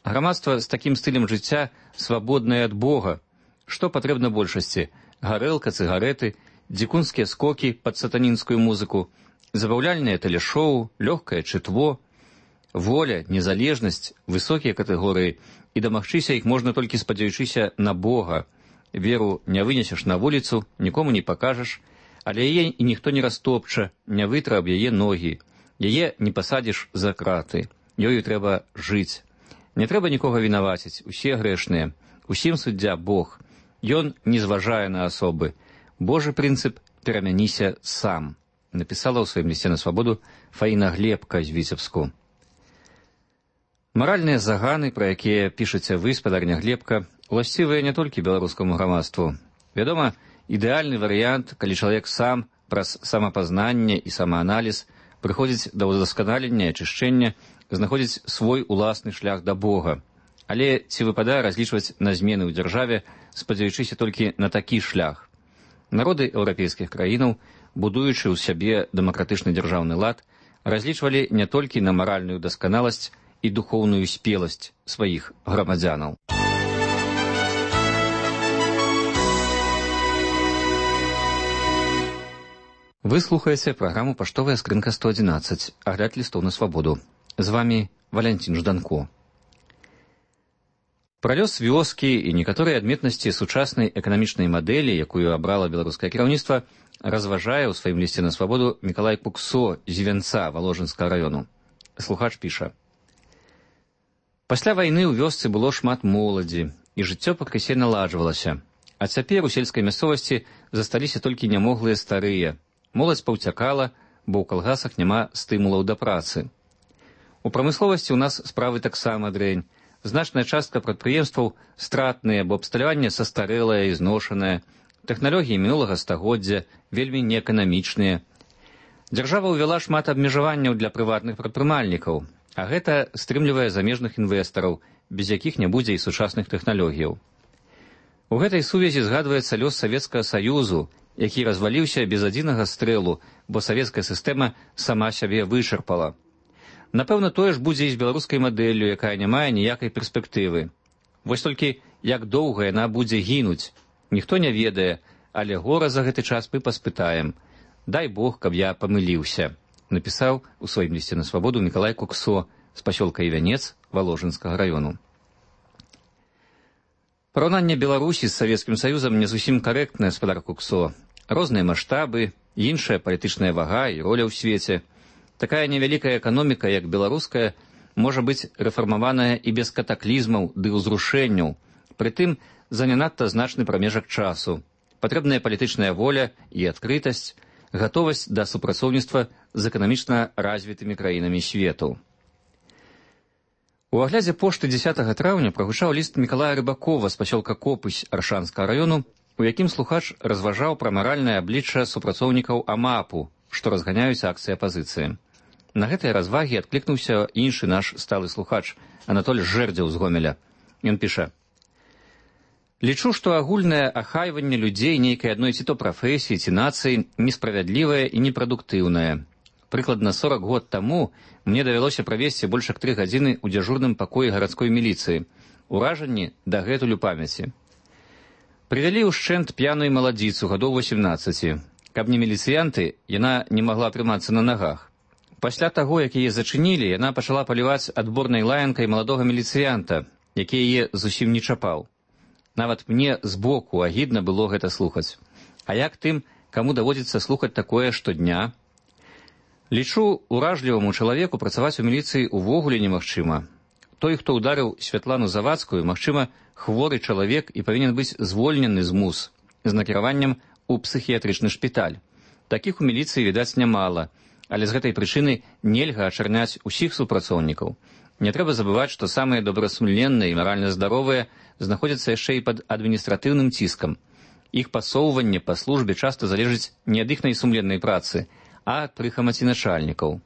Грамадства з такім стылем жыцця свабоднае ад Бога. Што патрэбна большасці? Гарэлка, цыгареты, дзікунскія скокі пад сатанінскую музыку, забаўляльнае тэлешоу, лёгкае чытво, воля, незалежнасць, высокія катэгорыі, і дамагчыся іх можна толькі спадзяючыся на Бога. Веру не вынесеш на вуліцу, нікому не пакажаш, але яе і ніхто не растопча, не вытра аб яе ногі. Яе не пасадзіш за краты. Ёю трэба жыць. Не трэба нікога вінаваціць, усе грэшныя. Усім суддзя Бог. Ён не зважае на асобы. Божы прынцып перамяніся сам. Напісала ў сваім лісце на свабоду Фаіна Глебка з Віцебску. Маральныя заганы, пра якія пішаце вы, спадарня Глебка, уласцівыя не толькі беларускаму грамадству. Вядома, ідэальны варыянт, калі чалавек сам праз самапазнанне і самааналіз прыходзіць да ўдасканалення і ачышчэння, знаходзіць свой уласны шлях да Бога. Але ці выпадае разлічваць на змены ў дзяржаве, спадзяючыся толькі на такі шлях? Народы еўрапейскіх краінаў, будуючы ў сябе дэмакратычны дзяржаўны лад, разлічвалі не толькі на маральную дасканаласць і духоўную спеласць сваіх грамадзянаў. Вы слухаеце праграму «Паштовая скрынка сто адзінаццаць», агляд лістоў на свабоду. З вамі Валянцін Жданко. Пра лёс вёскі і некаторыя адметнасці сучаснай эканамічнай мадэлі, якую абрала беларускае кіраўніцтва, разважае ў сваім лісце на свабоду Мікалай Куксо з Івянца Валожынскага раёну. Слухач піша: «Пасля вайны ў вёсцы было шмат моладзі, і жыццё пакрысе наладжвалася. А цяпер у сельскай мясцовасці засталіся толькі нямоглыя старыя. Моладзь паўцякала, бо ў калгасах няма стымулаў да працы. У прамысловасці ў нас справы таксама дрэнь. Значная частка прадпрыемстваў стратныя, бо абсталяванне састарэлае і зношанае. Тэхналогіі мінулага стагоддзя вельмі неэканамічныя. Дзяржава ўвяла шмат абмежаванняў для прыватных прадпрымальнікаў, а гэта стрымлівае замежных інвестараў, без якіх не будзе і сучасных тэхналогіяў. У гэтай сувязі згадваецца лёс Савецкага Саюзу, які разваліўся без адзінага стрэлу, бо савецкая сістэма сама сябе вычарпала. Напэўна, тое ж будзе і з беларускай мадэллю, якая не мае ніякай перспектывы. Вось толькі як доўга яна будзе гінуць, ніхто не ведае, але гора за гэты час мы паспытаем. Дай Бог, каб я памыліўся, напісаў у сваім лісце на свабоду Мікалай Куксо з пасёлка Івянец Валожынскага раёну. Параўнанне Беларусі з Савецкім Саюзам не зусім карэктнае, спадар Куксо. Розныя маштабы, іншая палітычная вага і роля ў свеце. Такая невялікая эканоміка, як беларуская, можа быць рэфармаваная і без катаклізмаў ды ўзрушэнняў, прытым за не надта значны прамежак часу. Патрэбная палітычная воля і адкрытасць, гатовасць да супрацоўніцтва з эканамічна развітымі краінамі свету. У аглядзе пошты дзесятага траўня прагучаў ліст Мікалая Рыбакова з пасёлка Копысь Аршанскага раёну, у якім слухач разважаў пра маральнае аблічча супрацоўнікаў АМАПу, што разганяюць акцыі апазіцыі. На гэтыя развагі адклікнуўся іншы наш сталы слухач, Анатоль Жэрдзеў з Гомеля. Ён піша: «Лічу, што агульнае ахайванне людзей нейкай адной ці то прафесіі, ці нацыі несправядлівае і непрадуктыўнае. Прыкладна сорак год таму мне давялося правесці больш як тры гадзіны ў дзяжурным пакоі гарадской міліцыі. Уражанні дагэтуль у памяці. Прывялі ўшчэнт п'яную маладзіцу гадоў восемнаццаці. Каб не міліцыянты, яна не магла трымацца на нагах. Пасля таго, як яе зачынілі, яна пачала паліваць адборнай лаянкай маладога міліцыянта, які яе зусім не чапаў. Нават мне збоку агідна было гэта слухаць. А як тым, каму даводзіцца слухаць такое штодня? Лічу, уражліваму чалавеку працаваць у міліцыі увогуле немагчыма. Той, хто ударыў Святлану Завадскую, магчыма, хворы чалавек і павінен быць звольнены з мус з накіраваннем у псіхіятрычны шпіталь. Такіх у міліцыі, відаць, нямала, але з гэтай прычыны нельга ачарняць усіх супрацоўнікаў. Не трэба забываць, што самыя добрасумленныя і маральна здаровыя знаходзяцца яшчэ і пад адміністратыўным ціскам. Іх пасоўванне па службе часта залежыць не ад іхнай сумленнай працы, а ад прыхамаці начальнікаў.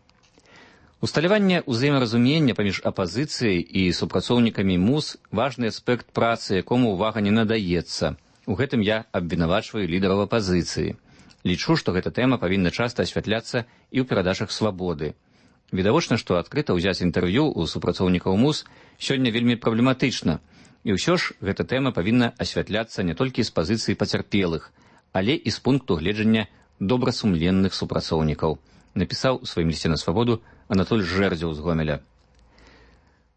Усталяванне ўзаемаразумення паміж апазіцыяй і супрацоўнікамі МУС важны аспект працы, якому ўвага не надаецца. У гэтым я абвінавачваю лідараў апазіцыі. Лічу, што гэта тэма павінна часта асвятляцца і ў перадачах свабоды. Відавочна, што адкрыта ўзяць інтэрв'ю ў супрацоўнікаў МУС сёння вельмі праблематычна. І ўсё ж гэта тэма павінна асвятляцца не толькі з пазіцыі пацярпелых, але і з пункту гледжання добрасумленных супрацоўнікаў, напісаў у сваім лісце на свабоду Анатоль Жэрдзеў з Гомеля.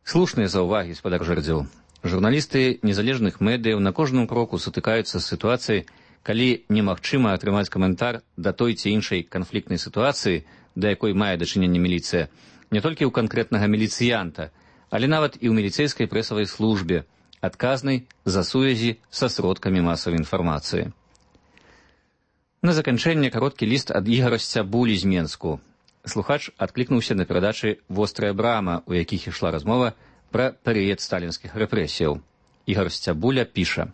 Слушныя заўвагі, спадар Жэрдзеў. Журналісты незалежных медыяў на кожным кроку сутыкаюцца з сітуацыяй, калі немагчыма атрымаць каментар да той ці іншай канфліктнай сітуацыі, да якой мае дачыненне міліцыя, не толькі ў канкрэтнага міліцыянта, але нават і ў міліцэйскай прэсавай службе, адказнай за сувязі са сродкамі масавай інфармацыі. На заканчэнне кароткі ліст ад Ігара Сцябулі з Менску. Слухач адклікнуўся на перадачы «Вострая брама», у якіх ішла размова пра перыяд сталінскіх рэпрэсіяў. Ігар Сцябуля піша: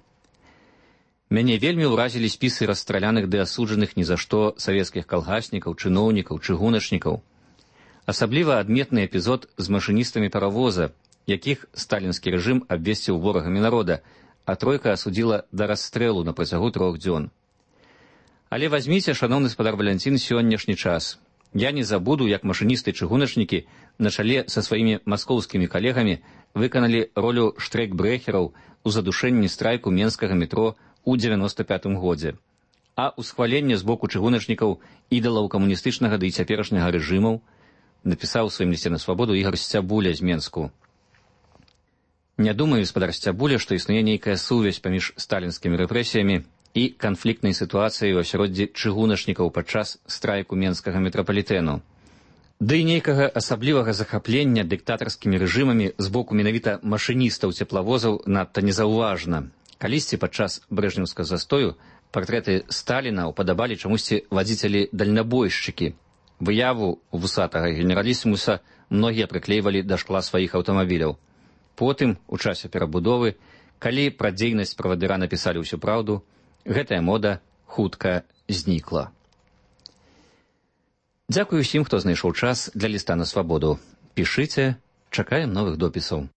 «Мяне вельмі ўразілі спісы расстраляных ды асуджаных ні за што савецкіх калгаснікаў, чыноўнікаў, чыгуначнікаў. Асабліва адметны эпізод з машыністамі паравоза, якіх сталінскі рэжым абвесціў ворагамі народа, а тройка асудзіла да расстрэлу на працягу трох дзён. Але вазьміце, шаноўны спадар Валянцін, сённяшні час. Я не забуду, як машыністы-чыгуначнікі на чале са сваімі маскоўскімі калегамі выканалі ролю штрайкбрэхераў у задушэнні страйку менскага метро у дзевяноста пятым годзе. А ўсхваленне з боку чыгуначнікаў ідалаў камуністычнага ды і цяперашняга рэжымаў, напісаў у сваім лісце на свабоду Ігар Сцябуля з Менску. Не думаю, спадар Сцябуля, што існуе нейкая сувязь паміж сталінскімі рэпрэсіямі і канфліктнай сітуацыяй у асяроддзі чыгуначнікаў падчас страйку менскага метрапалітэну. Ды і нейкага асаблівага захаплення дыктатарскімі рэжымамі з боку менавіта машыністаў цеплавозаў надта незаўважна. Калісьці падчас брэжнеўскага застою партрэты Сталіна упадабалі чамусьці вадзіцелі-дальнабойшчыкі. Выяву вусатага генералісімуса многія прыклейвалі да шкла сваіх аўтамабіляў. Потым, у часе перабудовы, калі пра дзейнасць правадыра напісалі ўсю праўду, гэтая мода хутка знікла. Дзякую ўсім, хто знайшоў час для ліста на свабоду. Пішыце, чакаем новых допісаў.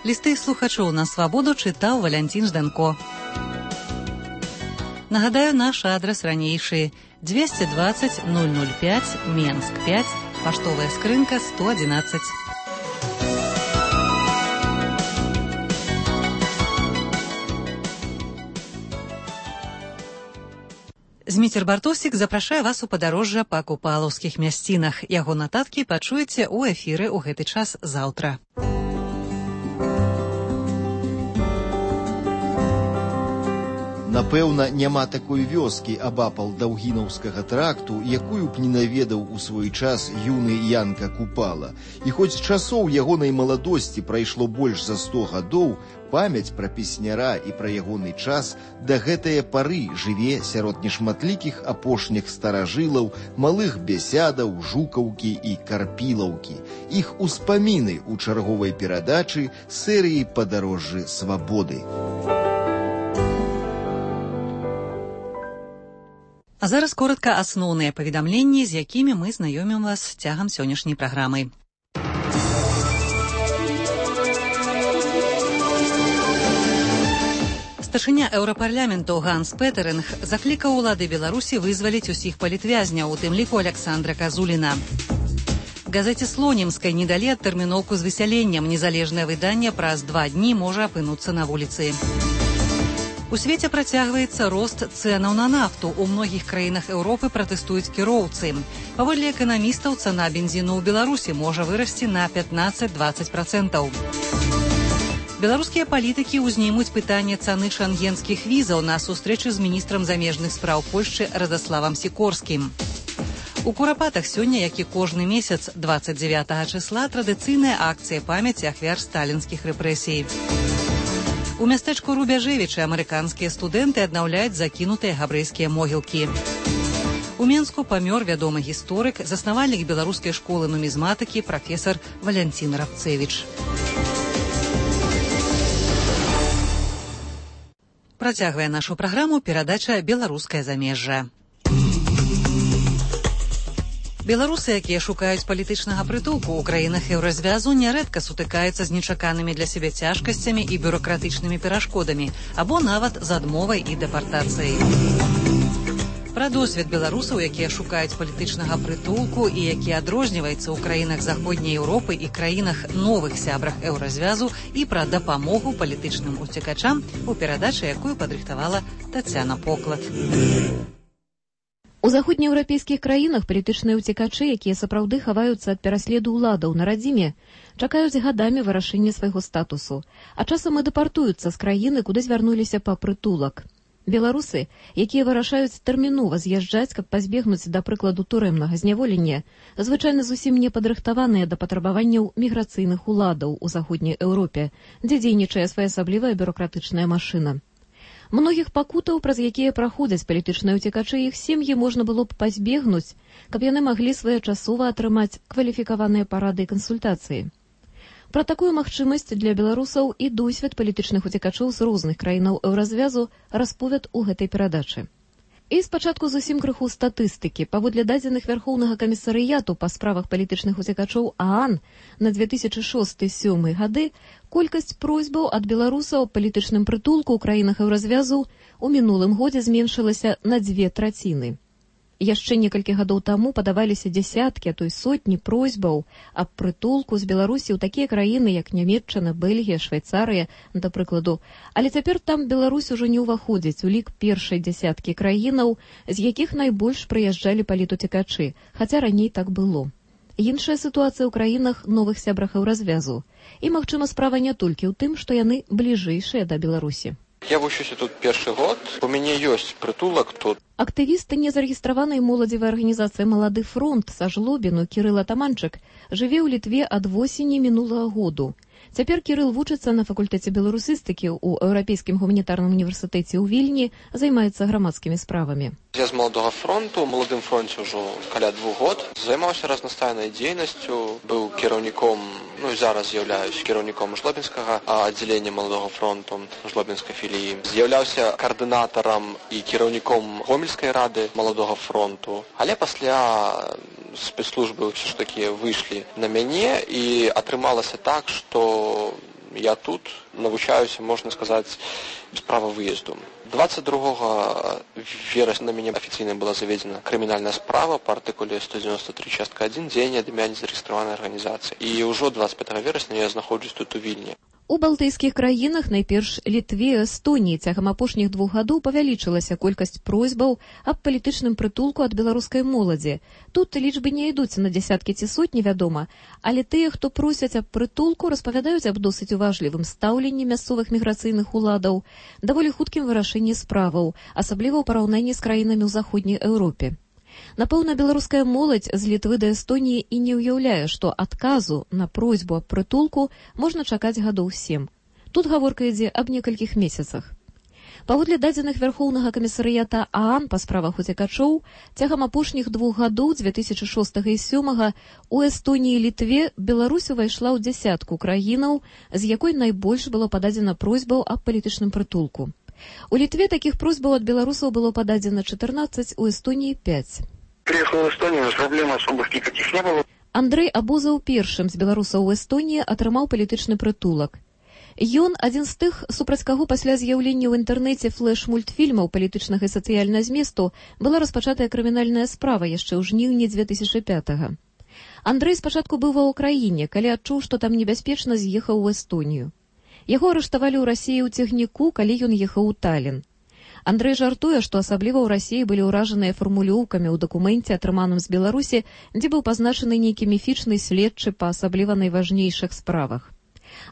Лісты слухачоў на свабоду чытаў Валянцін Жданко. Нагадаю, наш адрас ранейшы двести двадцать ноль ноль пять, Менск пять, паштовая скрынка сто одиннадцать. Зміцер Бартосік запрашае вас у падарожжа па купалаўскіх мясцінах. Яго нататкі пачуеце ў эфіры ў гэты час заўтра. Напэўна, няма такой вёскі абапал Даўгінаўскага тракту, якую б не наведаў у свой час юны Янка Купала. І хоць з часоў ягонай маладосці прайшло больш за сто гадоў, памяць пра песняра і пра ягоны час да гэтае пары жыве сярод нешматлікіх апошніх старажылаў, малых бесядаў, жукаўкі і карпілаўкі. Іх успаміны ў чарговай перадачы серыі «Падарожжы свабоды». А зараз коротка асноўныя паведамленні, з якімі мы знаёмім вас цягам сённяшняй праграмы. Старшыня еўрапарламенту Ганс Петеринг заклікаў улады Беларусі вызваліць усіх палітвязняў, у тым ліку Александра Казуліна. Газеце «Слонімскай» не далі адтэрміноўку з высяленнем. Незалежнае выданне праз два дні можа апынуцца на вуліцы. У свеце працягваецца рост цэнаў на нафту. У многіх краінах Еўропы пратэстуюць кіроўцы. Паводле эканамістаў, цана бензіну ў Беларусі можа вырасці на пятнаццаць-дваццаць працэнтаў. Беларускія палітыкі ўзнімуць пытанне цаны шангенскіх візаў на сустрэчы з міністрам замежных спраў Польшчы Радаславам Сікорскім. У Курапатах сёння, як і кожны месяц, дваццаць дзевятага чысла, традыцыйная акцыя памяці ахвяр сталінскіх рэпрэсій. У мястэчку Рубяжэвічы амерыканскія студэнты аднаўляюць закінутыя габрэйскія могілкі. У Менску памёр вядомы гісторык, заснавальнік беларускай школы нумізматыкі прафесар Валянцін Рабцэвіч. Працягвае нашу праграму перадача «Беларускае замежжа». Беларусы, якія шукаюць палітычнага прытулку ў краінах еўразвязу, нярэдка сутыкаюцца з нечаканымі для сябе цяжкасцямі і бюракратычнымі перашкодамі, або нават з адмовай і дэпартацыяй. Пра досвед беларусаў, якія шукаюць палітычнага прытулку і які адрозніваецца ў краінах Заходняй Еўропы і краінах новых сябрах еўразвязу, і пра дапамогу палітычным уцекачам у перадачы, якую падрыхтавала Тацяна Поклад. У заходнееўрапейскіх краінах палітычныя ўцекачы, якія сапраўды хаваюцца ад пераследу ўладаў на радзіме, чакаюць гадамі вырашэння свайго статусу, а часам і дэпартуюцца з краіны, куды звярнуліся па прытулак. Беларусы, якія вырашаюць тэрмінова з'язджаць, каб пазбегнуць, да прыкладу, турэмнага зняволення, звычайна зусім не падрыхтаваныя да патрабаванняў міграцыйных уладаў у Заходняй Еўропе, дзе дзейнічае своеасаблівая бюракратычная машына. Многіх пакутаў, праз якія праходзяць палітычныя ўцекачы, іх сем'і можна было б пазбегнуць, каб яны маглі своечасова атрымаць кваліфікаваныя парады і кансультацыі. Пра такую магчымасць для беларусаў і досвед палітычных уцекачоў з розных краінаў еўразвязу расповяд у гэтай перадачы. І спачатку зусім крыху статыстыкі. Паводле дадзеных Вярхоўнага камісарыяту па справах палітычных уцекачоў ААН на две тысячы шосты — две тысячи сёмы гады колькасць просьбаў ад беларусаў аб палітычным прытулку ў краінах еўразвязу ў мінулым годзе зменшылася на дзве траціны. Яшчэ некалькі гадоў таму падаваліся дзясяткі, а то і сотні просьбаў аб прытулку з Беларусі ў такія краіны, як Нямецчына, Бельгія, Швейцарыя, да прыкладу. Але цяпер там Беларусь ужо не ўваходзіць у лік першай дзясяткі краінаў, з якіх найбольш прыязджалі палітуцекачы, хаця раней так было. Іншая сітуацыя ў краінах новых сябрах еўразвязу. І, магчыма, справа не толькі ў тым, што яны бліжэйшыя да Беларусі. Я вучуся тут першы год, у мяне ёсць прытулак тут. Актывіст незарэгістраванай моладзевай арганізацыі «Малады фронт» са Жлобіну Кірыл Атаманчык жыве ў Літве ад восені мінулага году. Цяпер Кірыл вучыцца на факультэце беларусістыкі ў Еўрапейскім гуманітарным універсітэце ў Вільні, займаецца грамадскімі справамі. Я з маладога фронту, у маладым фронце ўжо каля двух год. Займаўся разнастайнай дзейнасцю, быў кіраўніком, ну і зараз з'яўляюсь кіраўніком жлобінскага аддзялення маладога фронту, жлобінскай філіі. З'яўляўся каардынатарам і кіраўніком гомельскай рады маладога фронту. Але пасля спецслужбы ўсё ж такі выйшлі на мяне і атрымалася так, што я тут навучаюся, можна сказаць, без права выезду. двадцать другого верасня на мяне афіцыйна была заведзена крымінальная справа па артыкуле сто девяносто три частка один дзеянне ад імя незарэгістраванай арганізацыі. І ўжо двадцать пятого верасня я знаходжусь тут у Вільні. У балтыйскіх краінах, найперш Літве, Эстоніі, цягам апошніх двух гадоў павялічылася колькасць просьбаў аб палітычным прытулку ад беларускай моладзі. Тут лічбы не ідуць на дзясяткі ці сотні, вядома, але тыя, хто просяць аб прытулку, распавядаюць аб досыць уважлівым стаўленні мясцовых міграцыйных уладаў, даволі хуткім вырашэнні справаў, асабліва ў параўнанні з краінамі ў заходняй Еўропе. Напэўна, беларуская моладзь з Літвы да Эстоніі і не ўяўляе, што адказу на просьбу аб прытулку можна чакаць гадоў сем. Тут гаворка ідзе аб некалькіх месяцах. Паводле дадзеных Вярхоўнага камісарыята ААН па справах уцекачоў, цягам апошніх двух гадоў, дзве тысячы шостага і сёмага, у Эстоніі і Літве Беларусь увайшла ў дзясятку краінаў, з якой найбольш было пададзена просьбаў аб палітычным прытулку. У Літве такіх просьбаў ад беларусаў было пададзена чатырнаццаць, у Эстонии пять. Приехал в Эстонию, проблем особых никаких не было. Андрэй Абозаў першым з беларусаў у Эстоніі атрымаў палітычны прытулак. Ён адзін з тых, супраць каго пасля з'яўлення ў інтэрнэце флэш-мультфільмаў палітычнага і сацыяльнага зместу была распачатая крымінальная справа яшчэ ў жніўні дзве тысячы пятага. Андрэй спачатку быў ва ўкраіне, калі адчуў, што там небяспечна, з'ехаў у Эстонію. Яго арыштавалі ў Расіі ў цягніку, калі ён ехаў у Талін. Андрэй жартуе, што асабліва ў Расіі былі ўражаныя фармулёўкамі ў дакуменце, атрыманым з Беларусі, дзе быў пазначаны нейкі міфічны следчы па асабліва найважнейшых справах.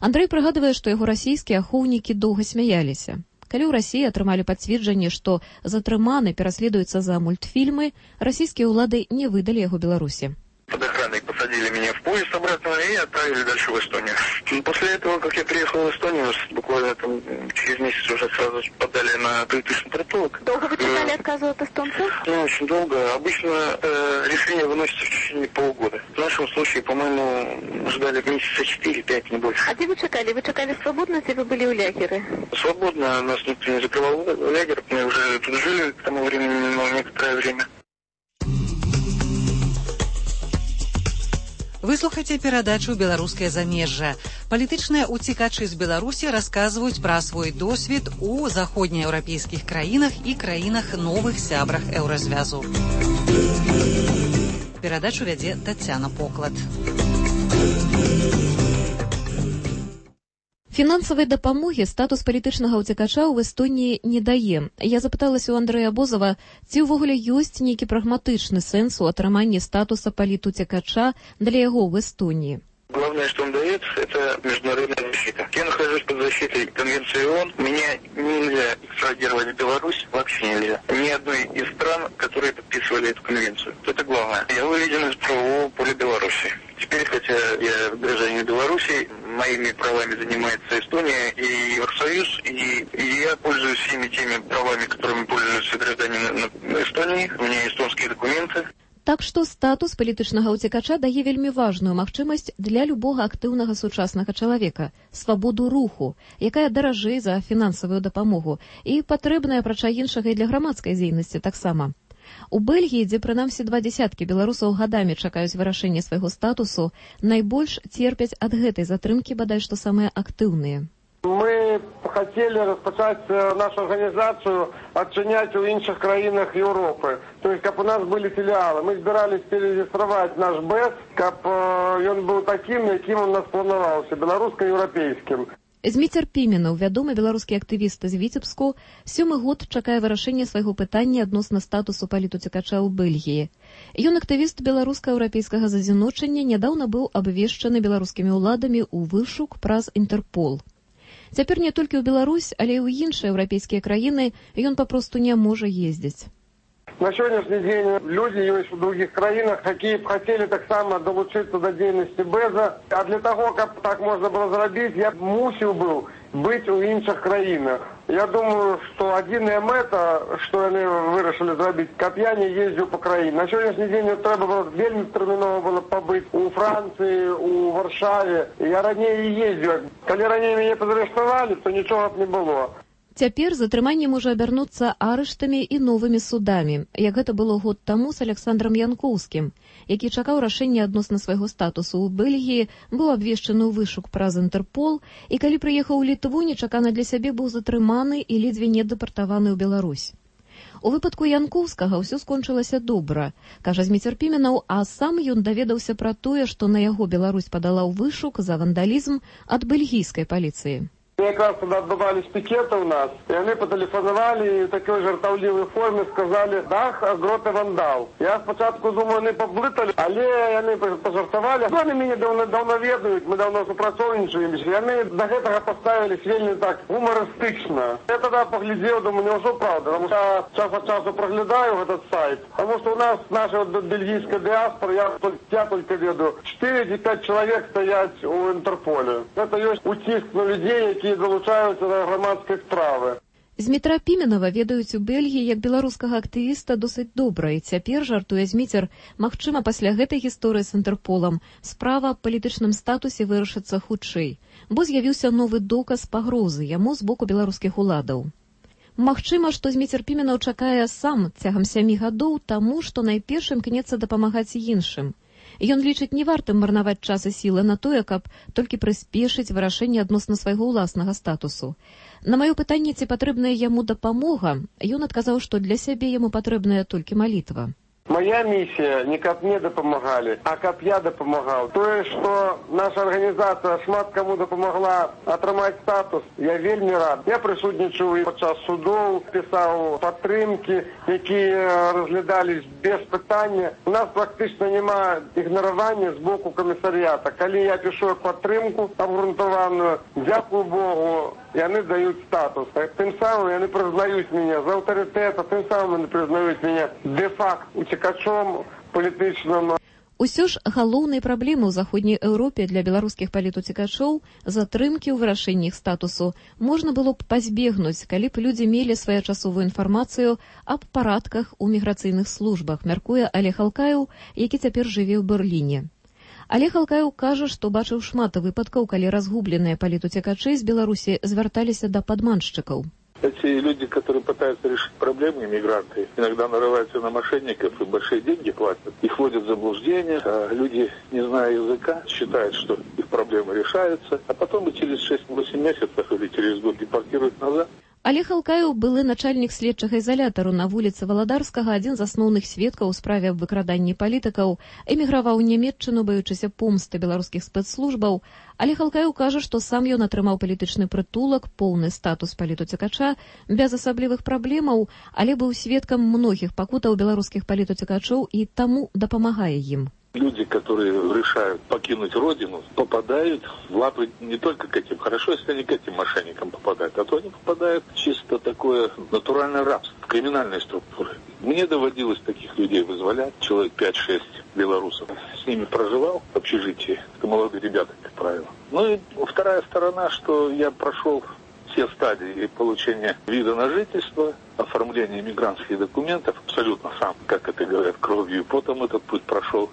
Андрэй прыгадвае, што яго расійскія ахоўнікі доўга смяяліся. Калі ў Расіі атрымалі пацверджанне, што затрыманы пераследуецца за мультфільмы, расійскія ўлады не выдалі яго Беларусі. Под охраной посадили меня в поезд обратно и отправили дальше в Эстонию. После этого, как я приехал в Эстонию, буквально там через месяц уже сразу подали на палитычный притулок. Долго вы читали отказы от эстонцев? Ну, очень долго. Обычно э, решение выносится в течение полугода. В нашем случае, по-моему, ждали месяца четыре-пять, не больше. А где вы чекали? Вы чекали свободно, если вы были у лагеря? Свободно. Нас никто не закрывал лагерь. Мы уже тут жили к тому времени, но некоторое время. Вы слухаце перадачу «Беларускае замежжа». Палітычныя уцекачы з Беларусі расказваюць пра свой досвед у заходнееўрапейскіх краінах і краінах новых сябрах еўразвязу. Перадачу вядзе Тацяна Поклад. Фінансавай дапамогі статус палітычнага ўцекача ў Эстоніі не дае. Я запыталася ў Андрэя Абозава, ці ўвогуле ёсць нейкі прагматычны сэнс у атрыманні статуса палітуцекача для яго в Эстонии. Главное, что он дает, это международная защита. Я нахожусь под защитой Конвенции ООН. Меня нельзя экстрадировать в Беларусь, вообще нельзя. Ни одной из стран, которые подписывали эту конвенцию. Это главное. Я выведен из правового поля Беларуси. Теперь, хотя я гражданин Беларуси, моими правами занимается Эстония и Евросоюз, и, и я пользуюсь всеми теми правами, которыми пользуются граждане Эстонии. У меня эстонские документы. Так што статус палітычнага ўцекача дае вельмі важную магчымасць для любога актыўнага сучаснага чалавека – свабоду руху, якая даражэй за фінансавую дапамогу і патрэбная, апрача іншага, і для грамадскай дзейнасці таксама. У Бельгіі, дзе прынамсі два дзясяткі беларусаў гадамі чакаюць вырашэння свайго статусу, найбольш церпяць ад гэтай затрымкі бадай што самыя актыўныя. Мы хотели распочать нашу организацию отчинять у інших краинах Европы. То есть, как у нас были филиалы. Мы собирались перерегистрировать наш БЭС, как он был таким, яким он у нас планировался, белорусско-европейским. Зміцер Піменаў, вядомы беларускі актывіст з Віцебску, сёмы год чакае вырашэння свайго пытання адносна статусу палітуцекача ў Бельгіі. Ён актывіст беларуска-еўрапейскага зазіночання, нядаўна быў абвешчаны беларускімі ўладамі ў вышук праз Інтэрпол. Цяпер не толькі ў Беларусь, але і ў іншыя еўрапейскія краіны ён папросту не можа ездзіць. На сённяшні дзень люди ёсць у других краінах, якія б хацелі таксама долучыцца да дзейнасці Бэза. А для таго, каб так можна было зрабіць, я мусіў быў быць у іншых краінах. Я думаю, што адзіная мэта, што яны вырашылі зрабіць, каб я не ездзіў па краіне. На сённяшні дзень трэба было вельмі тэрмінова было пабыць у Францыі, у Варшаве. Я раней і ездзіў. Калі раней мяне падарыштавалі, то нічога б не было. Цяпер затрыманне можа абярнуцца арыштамі і новымі судамі, як гэта было год таму з Александрам Янкоўскім, які чакаў рашэння адносна свайго статусу ў Бельгіі, быў абвешчаны ў вышук праз Інтэрпол, і калі прыехаў у Літву, нечакана для сябе быў затрыманы і ледзьве не дэпартаваны ў Беларусь. У выпадку Янкоўскага ўсё скончылася добра, кажа Зміцер Піменаў, а сам ён даведаўся пра тое, што на яго Беларусь падала ў вышук за вандалізм ад бельгійскай паліцыі. Якраз тоді відбувались пікети у нас, і вони потелефонували і в такій жартовливій формі сказали, дах, агроти вандал. Я спочатку думаю, вони поблитали, але вони пожартували. Вони мене давно, давно ведають, ми давно супрацовничаємо, і вони до цього поставились вельми так гумористично. Я тоді поглядів, думаю, не все правда, тому що час від часу проглядаю этот сайт, тому що у нас наша бельгійська діаспора, я, я тільки веду, чотири-п'ять чоловік стоять у Інтерполі. Це є утиск на людей, які долучаюцца да грамадскай справы. Змітра Піменава ведаюць у Бельгіі як беларускага актывіста досыць добра, і цяпер, жартуе Зміцер, магчыма, пасля гэтай гісторыі з Інтэрполам справа аб палітычным статусе вырашыцца хутчэй, бо з'явіўся новы доказ пагрозы яму з боку беларускіх уладаў. Магчыма, што Зміцер Піменаў чакае сам цягам сямі гадоў таму, што найперш імкнецца дапамагаць іншым. Ён лічыць не вартым марнаваць час і сілы на тое, каб толькі прыспешыць вырашэнне адносна свайго ўласнага статусу. На маё пытанне, ці патрэбная яму дапамога, ён адказаў, што для сябе яму патрэбная толькі малітва. Моя миссия не каб мне дапамагалі, а каб я дапамагаў. Тое, што наша арганізацыя шмат каму дапамагла атрымаць статус, я вельмі рад. Я прысутнічаў і падчас судоў, пісаў падтрымкі, якія разглядались без пытання. У нас практычна няма ігнаравання з боку камісарыята. Калі я пішу падтрымку абгрунтаваную, дзякую Богу, яны даюць статус. Тым самым яны прызнаюць мяне з аўтарытэта, тым самым яны прызнаюць мяне дэ-факт уцекачом палітычным. Усё ж галоўнай праблемай у заходняй Еўропе для беларускіх палітуцекачоў затрымкі ў вырашэнні іх статусу можна было б пазбегнуць, калі б людзі мелі своечасовую інфармацыю аб парадках у міграцыйных службах, мяркуе Олег Алкаеў, які цяпер жыве ў Берліне. Олег Алкаеў кажа, што бачыў шмат выпадкаў, калі разгубленыя палітуцекачы з Беларусі звярталіся да падманшчыкаў. Эти люди, которые пытаются решить проблемы, мигранты, иногда нарываются на мошенников и большие деньги платят. Их вводят в заблуждение, а люди, не зная языка, считают, что их проблемы решаются, а потом и через шесть-восемь месяцев или через год депортируют назад. Олег Алкаеў, былы начальнік следчага ізалятару на вуліцы Валадарскага, адзін з асноўных сведкаў у справе аб выкраданні палітыкаў, эміграваў у Нямецчыну, баючыся помсты беларускіх спецслужбаў. Олег Алкаеў кажа, што сам ён атрымаў палітычны прытулак, поўны статус палітуцекача, без асаблівых праблемаў, але быў сведкам многіх пакутаў беларускіх палітуцекачоў і таму дапамагае ім. Люди, которые решают покинуть родину, попадают в лапы не только к этим. Хорошо, если они к этим мошенникам попадают, а то они попадают в чисто такое натуральное рабство, в криминальные структуры. Мне доводилось таких людей вызволять, человек пять-шесть белорусов. С ними проживал в общежитии, это молодые ребята, как правило. Ну и вторая сторона, что я прошел все стадии получения вида на жительство, оформления мигрантских документов, абсолютно сам, как это говорят, кровью и потом этот путь прошел.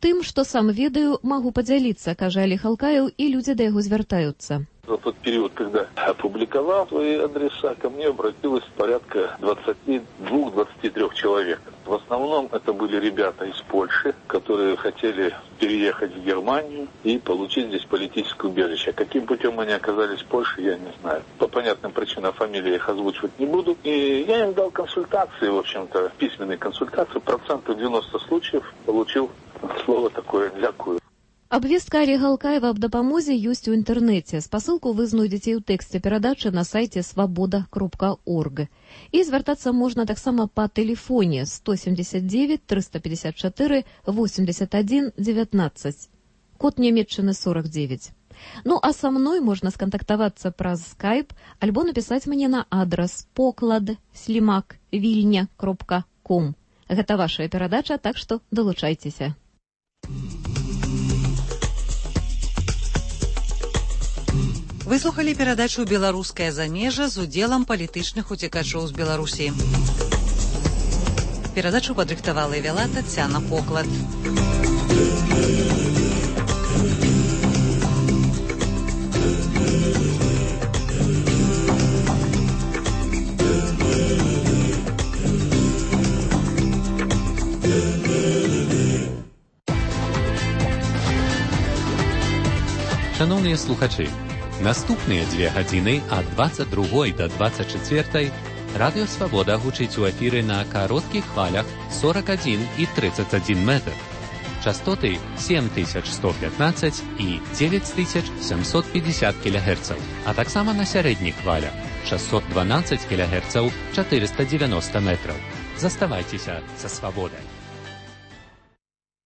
Тым, што сам ведаю, магу падзяліцца, кажа Олег Алкаеў, і людзі да яго звяртаюцца. За тот период, когда опубликовал свои адреса, ко мне обратилось порядка двадцать два - двадцать три человек. В основном это были ребята из Польши, которые хотели переехать в Германию и получить здесь политическое убежище. Каким путем они оказались в Польше, я не знаю. По понятным причинам фамилии их озвучивать не буду. И я им дал консультации, в общем-то, письменные консультации. Процентов девяносто случаев получил слово такое «дякую». Абвестка Олега Алкаева аб дапамозе ёсць у інтэрнэце. Спасылку вы знойдзеце ў тэксце перадачы на сайце свабода кропка орг. І звяртацца можна таксама па тэлефоне сто семьдесят девять триста пятьдесят четыре восемьдесят один девятнадцать. Код Нямецчыны сорок девять. Ну а са мной можна скантактавацца праз скайп альбо напісаць мне на адрас поклад слімак вільня кропка ком. Гэта вашая перадача, так што далучайцеся. Выслухалі перадачу «Беларускае замежжа» з удзелам палітычных уцекачоў з Беларусі. Перадачу падрыхтавала і вяла Тацяна Поклад. Шановні слухачі, наступныя дзве гадзіны ад дваццаць другой да дваццаць чацвёртай Радыё Свабода гучыць у эфіры на кароткіх хвалях сорок адзін і тридцать адзін метр. Частоты сем тысяч сто пятнадцать і девять тысяч семьсот пятьдесят кілогерцаў, а таксама на сярэдніх хвалях шестьсот двенадцать кілогерцаў, четыреста девяносто метров. Заставайцеся са Свабодай.